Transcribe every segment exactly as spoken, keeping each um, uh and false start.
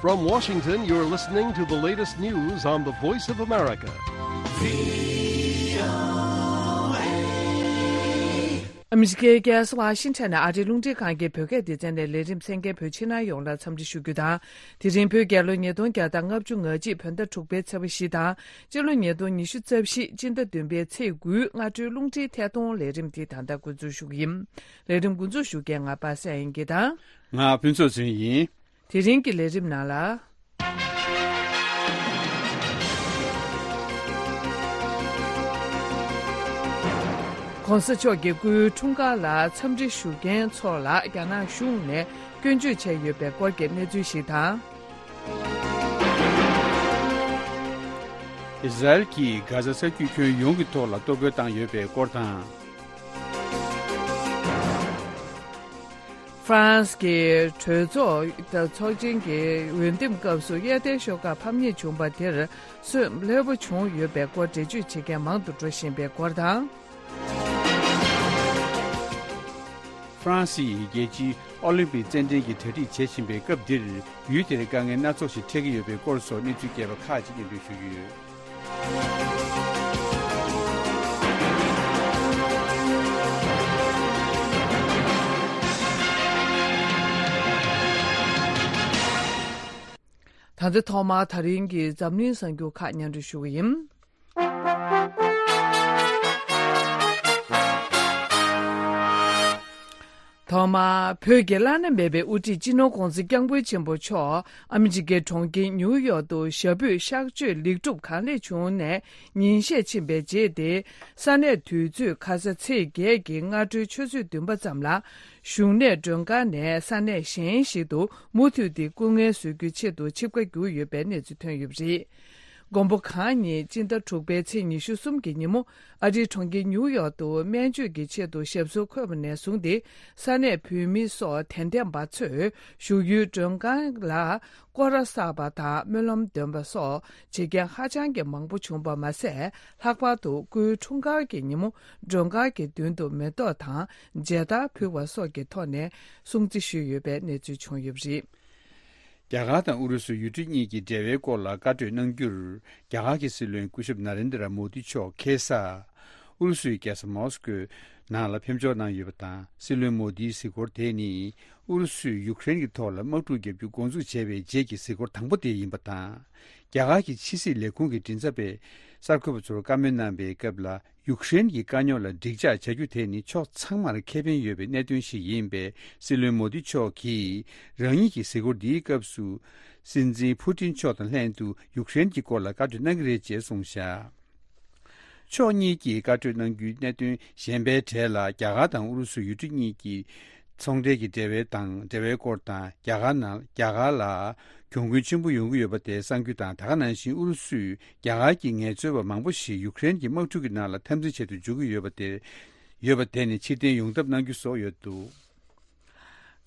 From Washington, you're listening to the latest news on the Voice of America. ཨ་མི་རི་ཀའི་རྒྱལ་ས་ཝ་ཤིང་ཊོན་ནས་ཨ་རིའི་རླུང་འཕྲིན་ཁང་གི་བོད་སྐད་སྡེ་ཚན་ནས་ལས་རིམ་གསན་མཁན་བོད་ཕྱི་ནང་ཡོངས་ལ་འཚམས་འདྲི་ཞུ་རྒྱུ་དང་། དེ་རིང་བོད་རྒྱལ་ལོ་ཉིས་སྟོང་བརྒྱ་དང་ལྔ་བཅུ་ང་གཅིག་བོད་ཟླ་དྲུག་པའི་ཚེས་པ་བཞི་དང་། སྤྱི་ལོ་ཉིས་སྟོང་ཉི་ཤུ་རྩ་བཞི་སྤྱི་ཟླ་བདུན་པའི་ཚེས་དགུའི་སྔ་དྲོའི་རླུང་འཕྲིན་ཐད་གཏོང་ལས་རིམ་འདི་ད་ལྟ་འགོ་འཛུགས་ཞུ་གི་ཡིན། ལས་རིམ་འགོ་འཛུགས་ཞུ་མཁན་ང་པ་སངས་དབྱངས་སྐྱིད་དང་། ང་ཕུན་ཚོགས་ཚེ་རིང་ཡིན། དེ་རིང་གི་ལས་རིམ་ནང་ལ། ༸གོང་ས་མཆོག་གི་སྐུའི་འཁྲུངས་སྐར་ལ་འཚམས་འདྲི་ཞུ་མཁན་ཚོ་ལ་རྒྱ་ནག་གཞུང་ནས་སྐྱོན་བརྗོད་བྱས་ཡོད་པའི་སྐོར་གྱི་གནས་ཚུལ་ཞིག་དང་། ཨི་ཟ་རེལ་གྱིས་གྷ་ཟ་ས་རྒྱུད་ཁྱོན་ཡོངས་ཀྱི་ཐོག་ལ་གཏོར་རྒོལ་བཏང་ཡོད་པའི་སྐོར་དང་། ཧྥ་རན་སི་གི་གྲོས་ཚོགས་དང་ཚོགས་ཆེན་གྱི་འོས་འདེམས་སྐབས་སུ་གཡས་ལྡན་ཤོག་ཁག་ཕམ་ཉེས་བྱུང་བ་དེར་སོན་ལྷོད་པོ་བྱུང་ཡོད་པའི་སྐོར་འགྲེལ་བརྗོད་བྱེད་མཁན་མང་དུ་འགྲོ་བཞིན་པའི་སྐོར་དང་། ཧྥ་རན་སིའི་རྒྱལ་སྤྱིའི་ཨོ་ལིམ་པིག་རྩེད་འགྲན་གྱི་གྲ་སྒྲིག་བྱེད་བཞིན་པའི་སྐབས་འདིར་ཡུལ་དེར་དཀའ་ངལ་སྣ་ཚོགས་ཤིག་འཕྲད་ཀྱི་ཡོད་པའི་སྐོར་སོགས་གནས་ཚུལ་རྒྱས་པ་ཁག་ཅིག་སྙན་སྒྲོན་ཞུ་རྒྱུ་ཡོད། ད་ལྟ་ཐོག་མར་ད་རིང་གི་འཛམ་གླིང་གསར་འགྱུར་ཁག་སྙན་སྒྲོན་ཞུ་གི་ཡིན། ཐོག་མར་བོད་ཀྱི་བླ་ན་མེད་པའི་དབུ་ཁྲིད་སྤྱི་ནོར་༸གོང་ས་༸སྐྱབས་མགོན་ཆེན་པོ་མཆོག་ཨ་མི་རི་ཀའི་གྲོང་ཁྱེར་ཉིའུ་ཡོག་ཏུ་ཞབས་པུས་གཤགས་བཅོས་ལེགས་གྲུབ་གང་ལེགས་བྱུང་ནས་ཉིན་ཤས་ཕྱིན་པའི་རྗེས་ཏེ། ས་གནས་དུས་ཚོད་ཁ་ས་ཚེས་བརྒྱད་ཀྱི་སྔ་དྲོའི་ཆུ་ཚོད་བདུན་པ་ཙམ་ལ། བཞུགས་གནས་མགྲོན་ཁང་ནས་ས་གནས་གཞན་ཞིག་ཏུ་མུ་མཐུད་དེ་སྐུ་ངལ་གསོ་རྒྱུའི་ཆེད་དུ་ཆིབས་ཁ་བསྒྱུར་ཡོད་པའི་གནས་ཚུལ་ཐོན་ཡོད་པ་རེད། མགོན་པོ་གང་ཉིད་སྤྱི་ཟླ་དྲུག་པའི་ཚེས་ཉི་ཤུ་གསུམ་གྱི་ཉིན་མོ་ཨ་རིའི་གྲོང་ཁྱེར་ཉིའུ་ཡོག་ཏུ་སྨན་བཅོས་ཀྱི་ཆེད་དུ་ཞབས་སོར་འཁོད་པ་ནས་བཟུང་སྟེ། ས་གནས་བོད་མི་སོགས་དད་ལྡན་པ་ཚོས་བཞུགས་ཡུལ་མགྲོན་ཁང་ལ་སྐོར་ར་བསགས་པ་དང་སྨོན་ལམ་འདོན་པ་སོགས་བྱེད་མཁན་ཧ་ཅང་གི་མང་པོ་བྱུང་བ་མ་ཟད། ལྷག་པར་དུ་སྐུའི་འཁྲུངས་སྐར་གྱི་ཉིན་མོ་མགྲོན་ཁང་གི་མདུན་དུ་མེ་ཏོག་དང་མཇལ་དར་ཕུལ་བ་སོགས་ཀྱི་ཐོག་ནས་སྲུང་བརྩི་ཞུས་ཡོད་པའི་གནས་ཚུལ་བྱུང་ཡོད་པ་རེད། རྒྱ་གར་དང་ཨུ་རུ་སུ་ཡུལ་གྲུ་གཉིས་ཀྱི་འབྲེལ་བའི་སྐོར་ལ་བཀའ་གྲོས་གནང་རྒྱུར། རྒྱ་གར་གྱི་སྲིད་བློན་སྐུ་ཞབས་ན་རེན་དྲ་མོ་དི་མཆོག་ཁ་སང་ཨུ་རུ་སུའི་རྒྱལ་ས་མོ་སི་ཀོའི་ནང་ལ་ཕེབས་འབྱོར་གནང་ཡོད་པ་དང་། སྲིད་བློན་མོ་དིའི་གཟིགས་སྐོར་དེ་ནི་ཨུ་རུ་སུས་ཡུཀ་རེན་གྱི་ཐོག་ལ་དམག་འཁྲུག་བརྒྱབ་རྒྱུ་འགོ་འཛུགས་བྱས་པའི་རྗེས་ཀྱི་གཟིགས་སྐོར་དང་པོ་དེ་ཡིན་པ་དང་། རྒྱ་གར་གྱི་ཕྱི་སྲིད་ལས་ཁུངས་ཀྱི་མགྲིན་ཚབ་པས་གསར་འགོད་པ་ཚོར་བཀའ་མོལ་གནང་པའི་སྐབས་ལ། ཡུཀ་རེན་གྱི་དཀའ་རྙོག་ལ་འགྲིག་འཇགས་བྱ་རྒྱུ་དེ་ནི་ཕྱོགས་ཚང་མར་ཁེ་ཕན་ཡོད་པའི་གནད་དོན་ཞིག་ཡིན་པས། སྲིད་བློན་མོ་དི་མཆོག་གིས་རང་ཉིད་ཀྱི་གཟིགས་སྐོར་འདིའི་སྐབས་སུ། སྲིད་འཛིན་ཕུ་ཏིན་མཆོག་དང་ལྷན་དུ་ཡུཀ་རེན་གྱི་སྐོར་ལ་བཀའ་གྲོས་གནང་གི་རེད་ཅེས་གསུངས་བཞག་ཕྱོགས་གཉིས་ཀྱིས་བཀའ་གྲོས་གནང་རྒྱུའི་གནད་དོན་གཞན་པའི་གྲས་ལ། རྒྱ་གར་དང་ཨུ་རུ་སུ་ཡུལ་གྲུ་གཉིས་ཀྱི་ཚོང་འབྲེལ་གྱི་འབྲེལ་བའི་དང་འབྲེལ་བའི་སྐོར་དང་། རྒྱ་གར་ནང་རྒྱ་གར་ལ་གྱོང་གུན་ཆེན་པོ་ཡོང་གི་ཡོད་པ་དེ་གསང་རྒྱུ་དང་། ད་ག་ནང་བཞིན་ཨུ་རུ་སུས་རྒྱ་གར་གྱི་ངལ་རྩོལ་བ་མང་པོ་ཞིག་ཡུཀ་རེན་གྱི་དམག་འཁྲུག་གི་ནང་ལ་འཐབ་འཛིང་བྱེད་དུ་འཇུག་གི་ཡོད་པ་དེ་ཡོད་པ་དེ་ནི་ཕྱིར་འཐེན་ཡོང་ཐབས་གནང་རྒྱུ་སོགས་ཡོད་འདུག་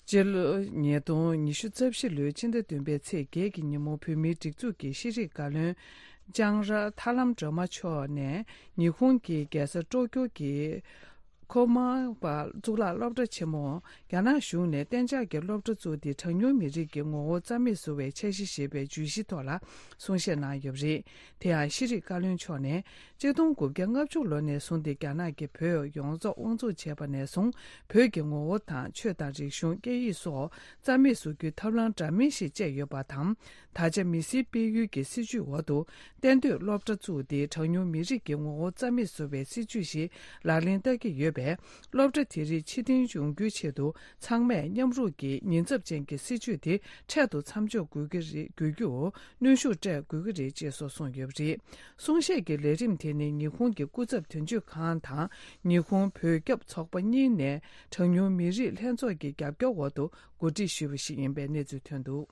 སྤྱི་ལོ་ཉིས་སྟོང་ཉི་ཤུ་རྩ་བཞི་ལོའི་ཕྱི་ཟླ་བདུན་པའི་ཚེས་བརྒྱད་ཀྱི་ཉིན་མོ་བོད་མིའི་སྒྲིག་འཛུགས་ཀྱི་ཤེས་རིག་བཀའ་བློན་ལྕང་ར་ཐར་ལམ་སྒྲོལ་མ་མཆོག་ནས་ཉི་ཧོང་གི་རྒྱལ་ས་ཀྲོ་ཀྱོ་གི་ཁོ་མ་པ་གཙུག་ལག་སློབ་གྲྭ་ཆེན་མོ། རྒྱ་ནག་གཞུང་ནས་གཏན་འཇགས་ཀྱི་སློབ་གྲྭ་བཙུགས་ཏེ། གྲངས་ཉུང་མི་རིགས་ཀྱི་ངོ་བོ་རྩ་མེད་བཟོ་བའི་འཆར་གཞི་ཞེས་པའི་བརྗོད་གཞིའི་ཐོག་ལ་གསུང་བཤད་གནང་ཡོད་པ་རེད། དེ་ཡང་ཤེས་རིག་བཀའ་བློན་མཆོག་ནས། གཅིག་སྟོང་དགུ་བརྒྱ་ལྔ་བཅུ་ལོ་ནས་བཟུང་སྟེ། རྒྱ་ནག་གིས་བོད་ཡོངས་རྫོགས་དབང་བཙོང་བྱས་པ་ནས་བཟུང་། བོད་ཀྱི་ངོ་བོ་དང་ཆོས་དང་རིག་གཞུང་། སྐད་ཡིག་སོགས་རྩ་མེད་བཟོ་རྒྱུའི་ཐབས་ལམ་འདྲ་མིན་ཞིག་སྤྱད་ཡོད་པ་དང་། ད་ཆ་མི་སེར་སྤེལ་ཡུལ་གྱི་སྲིད་ཇུས་འོག་ཏུ། གཏན་སྡོད་སློབ་གྲྭ་བཙུགས་ཏེ། གྲངས་ཉུང་མི་རིགས་ཀྱི་ངོ་བོ་རྩ་མེད་བཟོ་བའི་སྲིད་ཇུས་ཤིག་ལག་ལེན་བསྟར་གྱི་ཡོད་པས། སློབ་གྲྭ་དེ་རིགས་ཕྱིར་འཐེན་ཡོང་རྒྱུའི་ཆེད་དུ། ཚང་མས་མཉམ་རུབ་ཀྱིས་ཉེན་ཚབས་ཅན་གྱི་སྲིད་ཇུས་དེ་འཕྲལ་དུ་མཚམས་འཇོག་དགོས་ཀྱི་རེད། དགོས་རྒྱུར་གནོན་ཤུགས་སྤྲད་དགོས་ཀྱི་རེད་ཅེས་སོགས་གསུངས་ཡོད་པ་རེད། གསུང་བཤད་ཀྱི་ལས་རིམ་དེ་ནི་ཉི་ཧོང་གི་སྐུ་ཚབ་དོན་གཅོད་ཁང་དང་། ཉི་ཧོང་བོད་སྐྱབས་ཚོགས་པ་གཉིས་ནས་གྲངས་ཉུང་མི་རིགས་ལྷན་ཚོགས་ཀྱི་རྒྱབ་སྐྱོར་འོག་ཏུ་གོ་སྒྲིག་ཞུས་པ་ཞིག་ཡིན་པའི་གནས་ཚུལ་ཐོན་འདུག་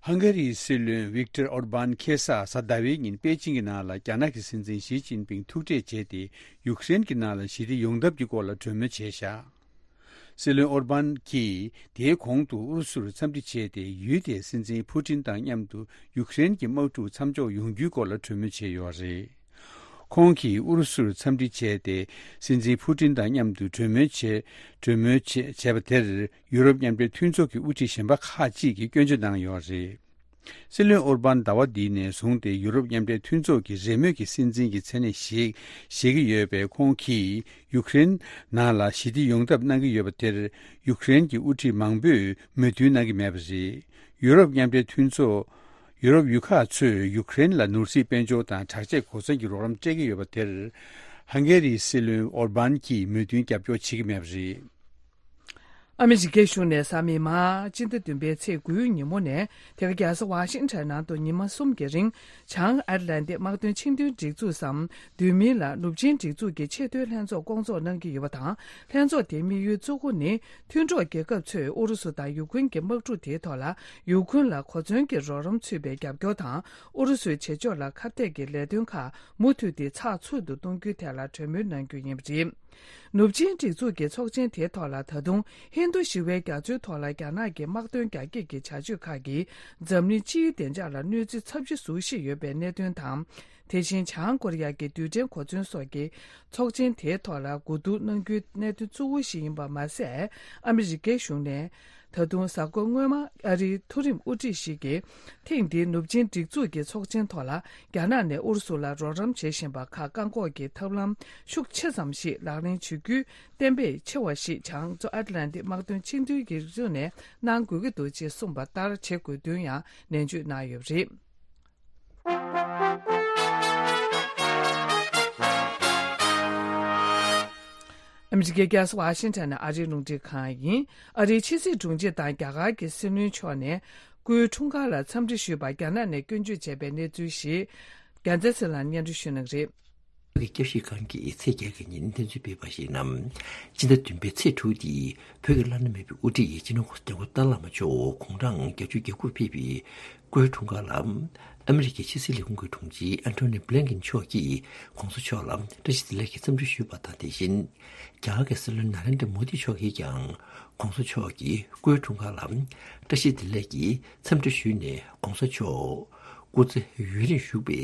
ཧང་ག་རིའི་སྲིད་བློན་ཝིག་ཏར་ཨོར་བཱན་ཁ་སང་གཟའ་ཟླ་བའི་ཉིན་པེ་ཅིང་གི་ནང་ལ་རྒྱ་ནག་གི་སྲིད་འཛིན་ཞི་ཅིན་ཕིང་ཐུག་འཕྲད་བྱས་ཏེ། ཡུཀ་རེན་གྱི་ནང་ལ་ཞི་བདེ་ཡོང་ཐབས་ཀྱི་སྐོར་ལ་གྲོས་མོལ་བྱས་བཞག་སྲིད་བློན་ཨོར་བཱན་གྱིས་དེའི་གོང་དུ་ཨུ་རུ་སུར་འཚམས་འདྲི་བྱས་ཏེ། ཡུལ་དེའི་སྲིད་འཛིན་ཕུ་ཏིན་དང་མཉམ་དུ་ཡུཀ་རེན་གྱི་དམག་འཁྲུག་མཚམས་འཇོག་ཡོང་རྒྱུའི་སྐོར་ལ་གྲོས་མོལ་བྱས་ཡོད་རེད། ཁོང་གིས་ཨུ་རུ་སུར་འཚམས་འདྲི་བྱས་ཏེ། སྲིད་འཛིན་ཕུ་ཏིན་དང་མཉམ་དུ་གྲོས་མོལ་བྱས། གྲོས་མོལ་བྱས་བྱས་པ་དེར་ཡུ་རོབ་མཉམ་འབྲེལ་མཐུན་ཚོགས་ཀྱི་དབུ་ཁྲིད་གཞན་པ་ཁག་ཅིག་གིས་སྐྱོན་བརྗོད་གནང་ཡོད་རེད། སྲིད་བློན་ཨོར་པཱན་ཟླ་བ་འདིའི་ནས་བཟུང་སྟེ་ཡུ་རོབ་མཉམ་འབྲེལ་མཐུན་ཚོགས་ཀྱི་རེས་མོས་ཀྱི་སྲིད་འཛིན་གྱི་མཚན་གནས་བཞེས་བཞེས་ཀྱི་ཡོད་པས། ཁོང་གིས་ཡུཀ་རེན་ནང་ལ་ཞི་བདེ་ཡོང་ཐབས་གནང་གི་ཡོད་པ་དེར་ཡུཀ་རེན་གྱི་དབུ་ཁྲིད་མང་པོས་མོས་མཐུན་གནང་གི་མེད་པ་རེད། ཡུ་རོབ་མཉམ་འབྲེལ་མཐུན་ཚོགས། ཡུ་རོབ་ཡུལ་ཁག་ཚོས་ཡུཀ་རེན་ལ་ནོར་སྲིད་དཔལ་འབྱོར་དང་དྲག་ཆས་གོ་མཚོན་གྱི་རོགས་རམ་སྤྲད་ཀྱི་ཡོད་པ་དེར། ཧང་གེ་རིའི་སྲིད་བློན་ཨོར་པཱན་གྱིས་མོས་མཐུན་རྒྱབ་སྐྱོར་བྱེད་ཀྱི་མེད་པ་རེད། ཨ་མི་རི་ཀའི་གཞུང་ནས་གཟའ་མིག་དམར་སྤྱི་ཟླ་བདུན་པའི་ཚེས་དགུའི་ཉིན་མོ་ནས་དེ་ག་རྒྱལ་ས་ཝ་ཤིང་ཊོན་ནང་དུ་ཉི་མ་གསུམ་གྱི་རིང་བྱང་ཨེཊ་ལན་ཏིག་དམག་དོན་ཆིངས་དོན་སྒྲིག་འཛུགས་སམ། བསྡུས་མིང་ལ་ནུབ་ཆིངས་སྒྲིག་འཛུགས་ཀྱི་ཆེས་མཐོའི་ལྷན་ཚོགས་བསྐོང་ཚོགས་གནང་གི་ཡོད་པ་དང་། ལྷན་ཚོགས་དེའི་དམིགས་ཡུལ་གཙོ་བོ་ནི། མཐུན་གྲོགས་རྒྱལ་ཁབ་ཚོས་ཨུ་རུ་སུ་དང་ཡུ་ཀུན་གྱི་དམག་འཁྲུག་དེའི་ཐོག་ལ་ཡུ་ཀུན་ལ་གོ་མཚོན་གྱི་རོགས་རམ་ཚུད་པའི་རྒྱབ་སྐྱོར་དང་། ཨུ་རུ་སུའི་བྱེད་ཕྱོགས་ལ་ཁ་གཏད་ཀྱི་ལས་དོན་ཁག་མུ་མཐུད་དེ་ཚགས་ཚུད་དུ་གཏོང་རྒྱུའི་ཐད་ལ་གྲོས་མོལ་གནང་རྒྱུ་ཡིན་པ་རེད། ནུབ་ཆིངས་སྒྲིག་འཛུགས་ཀྱི་ཚོགས་ཆེན་དེའི་ཐོག་ལ་ད་དུང་ཧིན་རྡུ་ཞི་བའི་རྒྱ་མཚོའི་ཐོག་ལ་རྒྱ་ནག་གི་དམག་དོན་རྒྱ་སྐྱེད་ཀྱི་བྱ་སྤྱོད་ཁག་གིས་འཛམ་གླིང་སྤྱིའི་བདེ་འཇགས་ལ་གནོད་འཚེ་ཚབས་ཆེ་བཟོ་བཞིན་ཡོད་པའི་གནད་དོན་དང་། དེ་བཞིན་བྱང་ཀོ་རི་ཡ་གི་རྡུལ་ཕྲན་གོ་མཚོན་སོགས་ཀྱི་ཚོགས་ཆེན་དེའི་ཐོག་ལ་གོ་བསྡུར་གནང་རྒྱུའི་གནད་དོན་གཙོ་བོ་ཞིག་ཡིན་པ་མ་ཟད། ཨ་མི་རི་ཀའི་གཞུང་ནས་ད་དུང་གཟའ་འཁོར་སྔོན་མ་ཨ་རིའི་མཐོ་རིམ་དབུ་ཁྲིད་ཞིག་གིས་ཐེངས་འདིའི་ནུབ་ཆིངས་སྒྲིག་འཛུགས་ཀྱི་ཚོགས་ཆེན་ཐོག་ལ་རྒྱ་ནག་ནས་ཨུ་རུ་སུ་ལ་རོགས་རམ་བྱེད་བཞིན་པ་ཁག་བཀག་འགོག་གི་ཐབས་ལམ་ཤུགས་ཆེ་ཙམ་ཞིག་ལག་ལེན་བྱེད་རྒྱུའི་གཏན་འབེབས་ཆེ་བ་ཞིག་བྱང་མཚོ་ཨེཊ་ལན་ཏིག་དམག་དོན་ཆིངས་དོན་སྒྲིག་འཛུགས་ནས་གནང་དགོས་ཀྱི་འདུག་ཅེས་གསུངས་པ་ལྟར་བྱེད་དགོས་དོན་ཡང་ནན་བརྗོད་གནང་ཡོད་པ་རེད། ཨ་མི་རི་ཀའི་རྒྱལ་ས་ཝ་ཤིང་ཊོན་ནས་ཨ་རིའི་རླུང་འཕྲིན་ཁང་ཡིན། ཨ་རིའི་ཕྱི་སྲིད་དྲུང་ཆེ་དང་རྒྱ་གར་གྱི་སྲིད་བློན་མཆོག་ནས་སྐུའི་འཁྲུངས་སྐར་ལ་འཚམས་འདྲི་ཞུས་པར་རྒྱ་ནག་ནས་སྐྱོན་བརྗོད་བྱས་པའི་གནས་ཚུལ་ཞིག་རྒྱལ་མཚན་ཚེ་ལགས་སྙན་སྒྲོན་ཞུ་གནང་གི་རེད། གི་སྐྱབས་ཞིབ་ཁང་གིས་ཚེས་བརྒྱད་ཀྱི་ཉིན་གནས་ཚུལ་སྤེལ་བར་གཞིགས་ན། སྤྱི་ཟླ་བདུན་པའི་ཚེས་དྲུག་སྟེ་བོད་ཀྱི་བླ་ན་མེད་པའི་དབུ་ཁྲིད་སྤྱི་ནོར་༧གོང་ས་༧སྐྱབས་མགོན་ཏཱ་ལའི་བླ་མ་མཆོག་དགུང་གྲངས་བརྒྱད་ཅུ་གྱ་དགུར་ཕེབས་པའི་སྐུའི་འཁྲུངས་སྐར་ལ། ཨ་མི་རི་ཀའི་ཕྱི་སྲིད་ལས་ཁུངས་ཀྱི་དྲུང་ཆེ་ཨན་ཐོ་ནི་བྷི་ལིན་ཀིན་མཆོག་གིས་༧གོང་ས་མཆོག་ལ་བཀྲ་ཤིས་བདེ་ལེགས་ཀྱི་འཚམས་འདྲི་ཞུས་པ་དང་། དེ་བཞིན་རྒྱ་གར་གྱི་སྲིད་བློན་ན་རེན་དྲ་མོ་དི་མཆོག་གིས་ཀྱང་༧གོང་ས་མཆོག་གི་སྐུའི་འཁྲུངས་སྐར་ལ་བཀྲ་ཤིས་བདེ་ལེགས་ཀྱི་འཚམས་འདྲི་ཞུས་ནས། ༧གོང་ས་མཆོག་སྐུ་ཚེ་ཡུན་རིང་བཞུགས་པའི་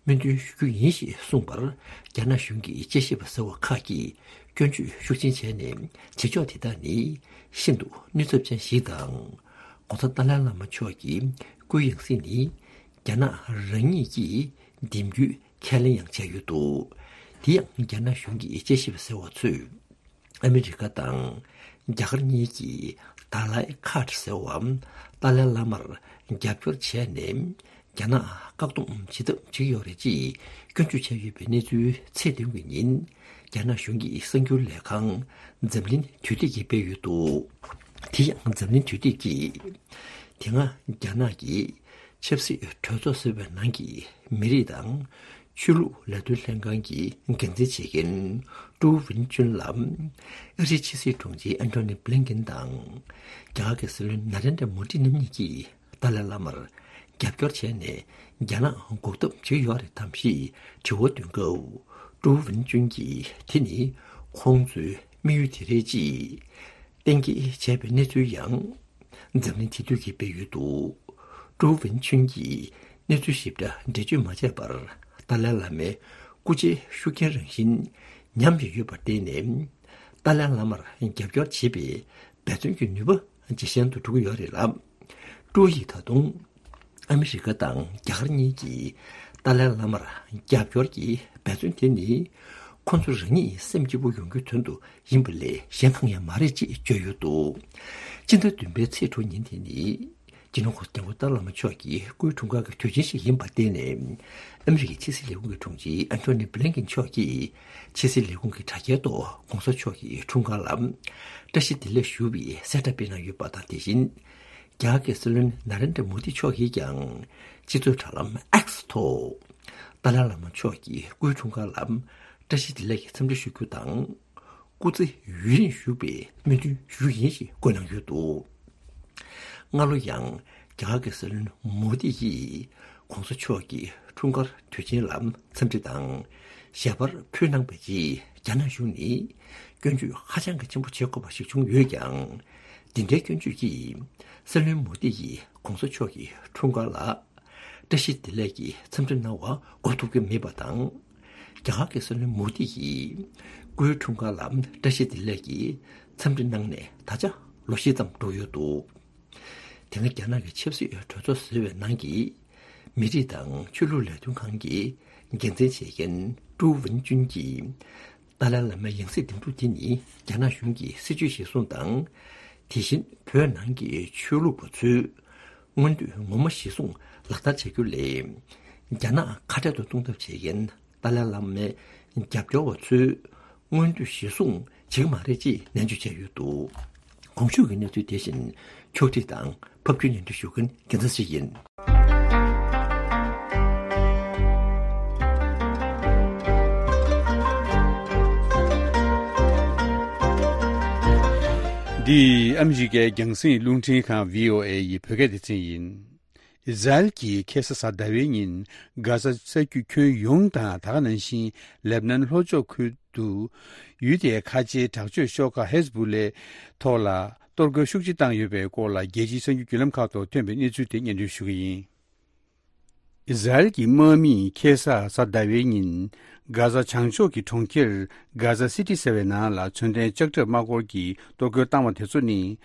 སྨོན་འདུན་ཞུ་རྒྱུ་ཡིན་ཞེས་གསུངས་པར། རྒྱ་ནག་གཞུང་གི་དཔྱད་ཞིབ་པ་ཟེར་བ་ཁག་གིས་སྐྱོན་བརྗོད་ཤུགས་ཆེན་བྱས་ནས། བྱེད་ཕྱོགས་དེ་དག་ནི་ཤིན་ཏུ་གནོད་ཚབས་ཅན་ཞིག་དང་། ༧གོང་ས་ཏཱ་ལའི་བླ་མ་མཆོག་གི་སྐུའི་ཡང་སྲིད་ནི་རྒྱ་ནག་རང་ཉིད་ཀྱིས་འདེམས་རྒྱུའི་ཁས་ལེན་ཡང་བྱས་ཡོད་འདུག་དེ་ཡང་རྒྱ་ནག་གཞུང་གི་དཔྱད་ཞིབ་པ་ཟེར་བ་ཚོས། ཨ་མི་རི་ཀ་དང་རྒྱ་གར་གཉིས་ཀྱིས་ཏཱ་ལའི་ཁཱར་ཟེར་བའམ་ཏཱ་ལའི་བླ་མར་རྒྱབ་སྐྱོར་བྱས་ནས། རྒྱ་ནག་བཀག་སྡོམ་བྱེད་ཐབས་བྱེད་ཀྱི་ཡོད་རེད་ཅེས་སྐྱོན་བརྗོད་བྱས་ཡོད་པའི་གནས་ཚུལ་ཚེས་བདུན་གྱི་ཉིན་རྒྱ་ནག་གཞུང་གི་གསར་འགྱུར་ལས་ཁང་འཛམ་གླིང་དུས་དེབ་ཀྱིས་སྤེལ་ཡོད་འདུག་དེ་ཡང་འཛམ་གླིང་དུས་དེབ་ཀྱིས། དེ་སྔ་རྒྱ་ནག་གི་ཆབ་སྲིད་གྲོས་ཚོགས་ཟེར་བའི་ནང་གི་མི་རིགས་དང་ཆོས་ལུགས་ལས་དོན་ལྷན་ཁང་གི་འགན་འཛིན་བྱེད་མཁན་ཀྲུའུ་ཝུན་ཅུན་ལ། ཨ་རིའི་ཕྱི་སྲིད་དྲུང་ཆེ་ཨན་ཐོ་ནི་བྷི་ལིན་ཀིན་དང་། རྒྱ་གར་གྱི་སྲིད་བློན་ན་རེན་དྲ་མོ་དི་རྣམ་གཉིས་ཀྱིས་ཏཱ་ལའི་བླ་མར་རྒྱབ་སྐྱོར་བྱས་ནས། རྒྱ་ནག་འགོག་ཐབས་བྱེད་ཀྱི་ཡོད་རེད་དམ་ཞེས་དྲི་བ་འདོན་སྐབས། ཀྲུའུ་ཝུན་ཅུན་གྱིས་དེ་ནི་ཁོང་ཚོའི་དམིགས་ཡུལ་དེ་རེད་ཅེས་གཏན་འཁེལ་བྱས་པའི་གནས་ཚུལ་ཡང་འཛམ་གླིང་དེ་དུས་ཀྱིས་སྤེལ་ཡོད་འདུག་ཀྲུའུ་ཝུན་ཅུན་གྱིས་གནས་ཚུལ་ཞིབ་ཕྲ་འགྲེལ་བརྗོད་མ་བྱས་པར། ཏཱ་ལའི་བླ་མའི་སྐུ་ཕྱྭའི་ཤུགས་རྐྱེན་རང་བཞིན་ཉམས་བཞིན་ཡོད་པར་བརྟེན་ནས། ཏཱ་ལའི་བླ་མར་རྒྱབ་སྐྱོར་བྱེད་པའི་འབད་བརྩོན་གྱི་ནུས་པ་ཇེ་ཞན་དུ་འགྲོ་གི་ཡོད་རེད་ལ། ཀྲུའུ་ཡིས་ད་དུང་ཨ་མི་རི་ཀ་དང་རྒྱ་གར་གཉིས་ཀྱིས་ཏཱ་ལའི་བླ་མར་རྒྱབ་སྐྱོར་གྱི་འབད་བརྩོན་དེ་ནི་ཁོ་ཚོ་རང་ཉིད་སེམས་སྐྱིད་པོ་ཡོང་རྒྱུའི་དོན་དུ་ཡིན་པ་ལས་གཞན་གང་ཡང་མ་རེད་ཅེས་བརྗོད་ཡོད་འདུག་སྤྱི་ཟླ་བདུན་པའི་ཚེས་དྲུག་ཉིན་དེ་ནི། སྤྱི་ནོར་༧གོང་ས་༧སྐྱབས་མགོན་ཏཱ་ལའི་བླ་མ་མཆོག་གི་སྐུའི་འཁྲུངས་སྐར་གྱི་དུས་ཆེན་ཞིག་ཡིན་པར་བརྟེན་ནས། ཨ་མི་རི་ཀའི་ཕྱི་སྲིད་ལས་ཁུངས་ཀྱི་དྲུང་ཆེ་ཨན་ཐོ་ནི་བྷི་ལིན་ཀིན་མཆོག་གིས་ཕྱི་སྲིད་ལས་ཁུངས་ཀྱི་དྲ་རྒྱའི་ཐོག་༧གོང་ས་མཆོག་གི་འཁྲུངས་སྐར་ལ་བཀྲ་ཤིས་བདེ་ལེགས་ཞུ་བའི་གསལ་བསྒྲགས་སྤེལ་གནང་ཡོད་པ་དང་། དེ་བཞིན་རྒྱ་གར་གྱི་སྲིད་བློན་ན་རེན་དྲ་མོ་དི་མཆོག་གིས་ཀྱང་སྤྱི་ཚོགས་དྲ་ལམ་X་ཐོག་ཏཱ་ལའི་བླ་མ་མཆོག་གི་སྐུའི་འཁྲུངས་སྐར་ལ་བཀྲ་ཤིས་བདེ་ལེགས་ཀྱི་འཚམས་འདྲི་ཞུ་རྒྱུ་དང་། སྐུ་ཚེ་ཡུན་རིང་བཞུགས་པའི་སྨོན་འདུན་ཞུ་རྒྱུ་ཡིན་ཞེས་བཀོད་གནང་ཡོད་འདུག་སྔ་ལོ་ཡང་རྒྱ་གར་གྱི་སྲིད་བློན་མོ་དི་ཡིས་༧གོང་ས་མཆོག་གི་འཁྲུངས་སྐར་དུས་ཆེན་ལ་འཚམས་འདྲི་དང་ཞལ་པར་ཕུལ་གནང་བའི་རྗེས། རྒྱ་ནག་གཞུང་ནས་སྐྱོན་བརྗོད་ཧ་ཅང་གི་ཆེན་པོ་བྱེད་དགོས་པ་ཞིག་བྱུང་ཡོད་ཀྱང་། འདི་འདྲའི་སྐྱོན་བརྗོད་ཀྱིས་སྲིད་བློན་མོ་དི་ཡིས་༧གོང་ས་མཆོག་གི་འཁྲུངས་སྐར་ལ་བཀྲ་ཤིས་བདེ་ལེགས་ཀྱི་འཚམས་འདྲི་གནང་བ་གོ་ཐུབ་ཀྱི་མེད་པ་དང་། རྒྱ་གར་གྱི་སྲིད་བློན་མོ་དི་ཡིས་སྐུའི་འཁྲུངས་སྐར་ལ་བཀྲ་ཤིས་བདེ་ལེགས་ཀྱི་འཚམས་འདྲི་གནང་ནས་ད་ཆ་ལོ་བཞི་ཙམ་འགྲོ་ཡོད་འདུག་དེ་སྔ་རྒྱ་ནག་གི་ཆབ་སྲིད་གྲོས་ཚོགས་ཟེར་བའི་ནང་གི་མི་རིགས་དང་ཆོས་ལུགས་ལས་དོན་ཁང་གི་འགན་འཛིན་བྱེད་མཁན་ཀྲུའུ་ཝུན་ཅུན་གྱིས། ཏཱ་ལའི་བླ་མའི་ཡང་སྲིད་འདེམས་སྒྲུག་དེ་ནི་རྒྱ་ནག་གཞུང་གི་སྲིད་བྱུས་གཞིར་བཟུང་དང་། དེ་བཞིན་བོད་ནང་གི་ཆོས་ལུགས་པ་ཚོའི་མངོན་འདོད་ངོ་མ་གཞིར་བཟུང་ལག་བསྟར་བྱ་རྒྱུ་ལས། རྒྱ་ནག་ཁ་བྲལ་དུ་གཏོང་ཐབས་བྱེད་མཁན་ཏཱ་ལའི་བླ་མའི་རྒྱབ་སྐྱོར་བ་ཚོའི་མངོན་འདོད་གཞིར་བཟུང་བྱེད་ཀྱི་མ་རེད་ཅེས་ནན་བརྗོད་བྱས་ཡོད་འདུག་གོང་ཞུས་ཀྱི་གནས་ཚུལ་དེ་བཞིན་ཕྱོགས་སྒྲིག་དང་ཕབ་སྒྱུར་སྙན་སྒྲོན་ཞུ་མཁན་རྒྱལ་མཚན་ཞིག་ཡིན། འདི་ཨ་མི་རི་ཀའི་རྒྱང་སྲིང་རླུང་འཕྲིན་ཁང་བྷི་ཨོ་ཨེ་ཡི་བོད་སྐད་སྡེ་ཚན་ཡིན། ཨི་ཟ་རེལ་གྱིས་ཁ་སང་གཟའ་ཟླ་བའི་ཉིན་གྷ་ཟ་ས་རྒྱུད་ཁྱོན་ཡོངས་དང་ད་ག་ནང་བཞིན་ལེབ་ནན་ལྷོ་ཕྱོགས་ཁུལ་དུ་ཡུལ་དེའི་ཁ་ཆེའི་དྲག་སྤྱོད་ཤོག་ཁག་ཧེ་ཟ་བུ་ལའི་ཐོག་ལ་གཏོར་རྒོལ་ཤུགས་ཆེ་བཏང་ཡོད་པའི་སྐོར་ལ་རྒྱལ་སྤྱིའི་གསར་འགྱུར་བརྒྱུད་ལམ་ཁག་ཐོག་ཐོན་པའི་གནས་ཚུལ་དེ་སྙན་སྒྲོན་ཞུ་གི་ཡིན། ཨི་ཟ་རེལ་གྱི་དམག་མིས་ཁ་སང་གཟའ་ཟླ་བའི་ཉིན་གྷ་ཟ་བྱང་ཕྱོགས་ཀྱི་གྲོང་ཁྱེར་གྷ་ཟ་སི་ཊི་ཟེར་བའི་ནང་ལ་མཚོན་ལྡན་ལྕགས་ཁྲབ་དམག་འཁོར་གྱིས་གཏོར་རྒོལ་བཏང་བ་དེ་ཚོ་ནི་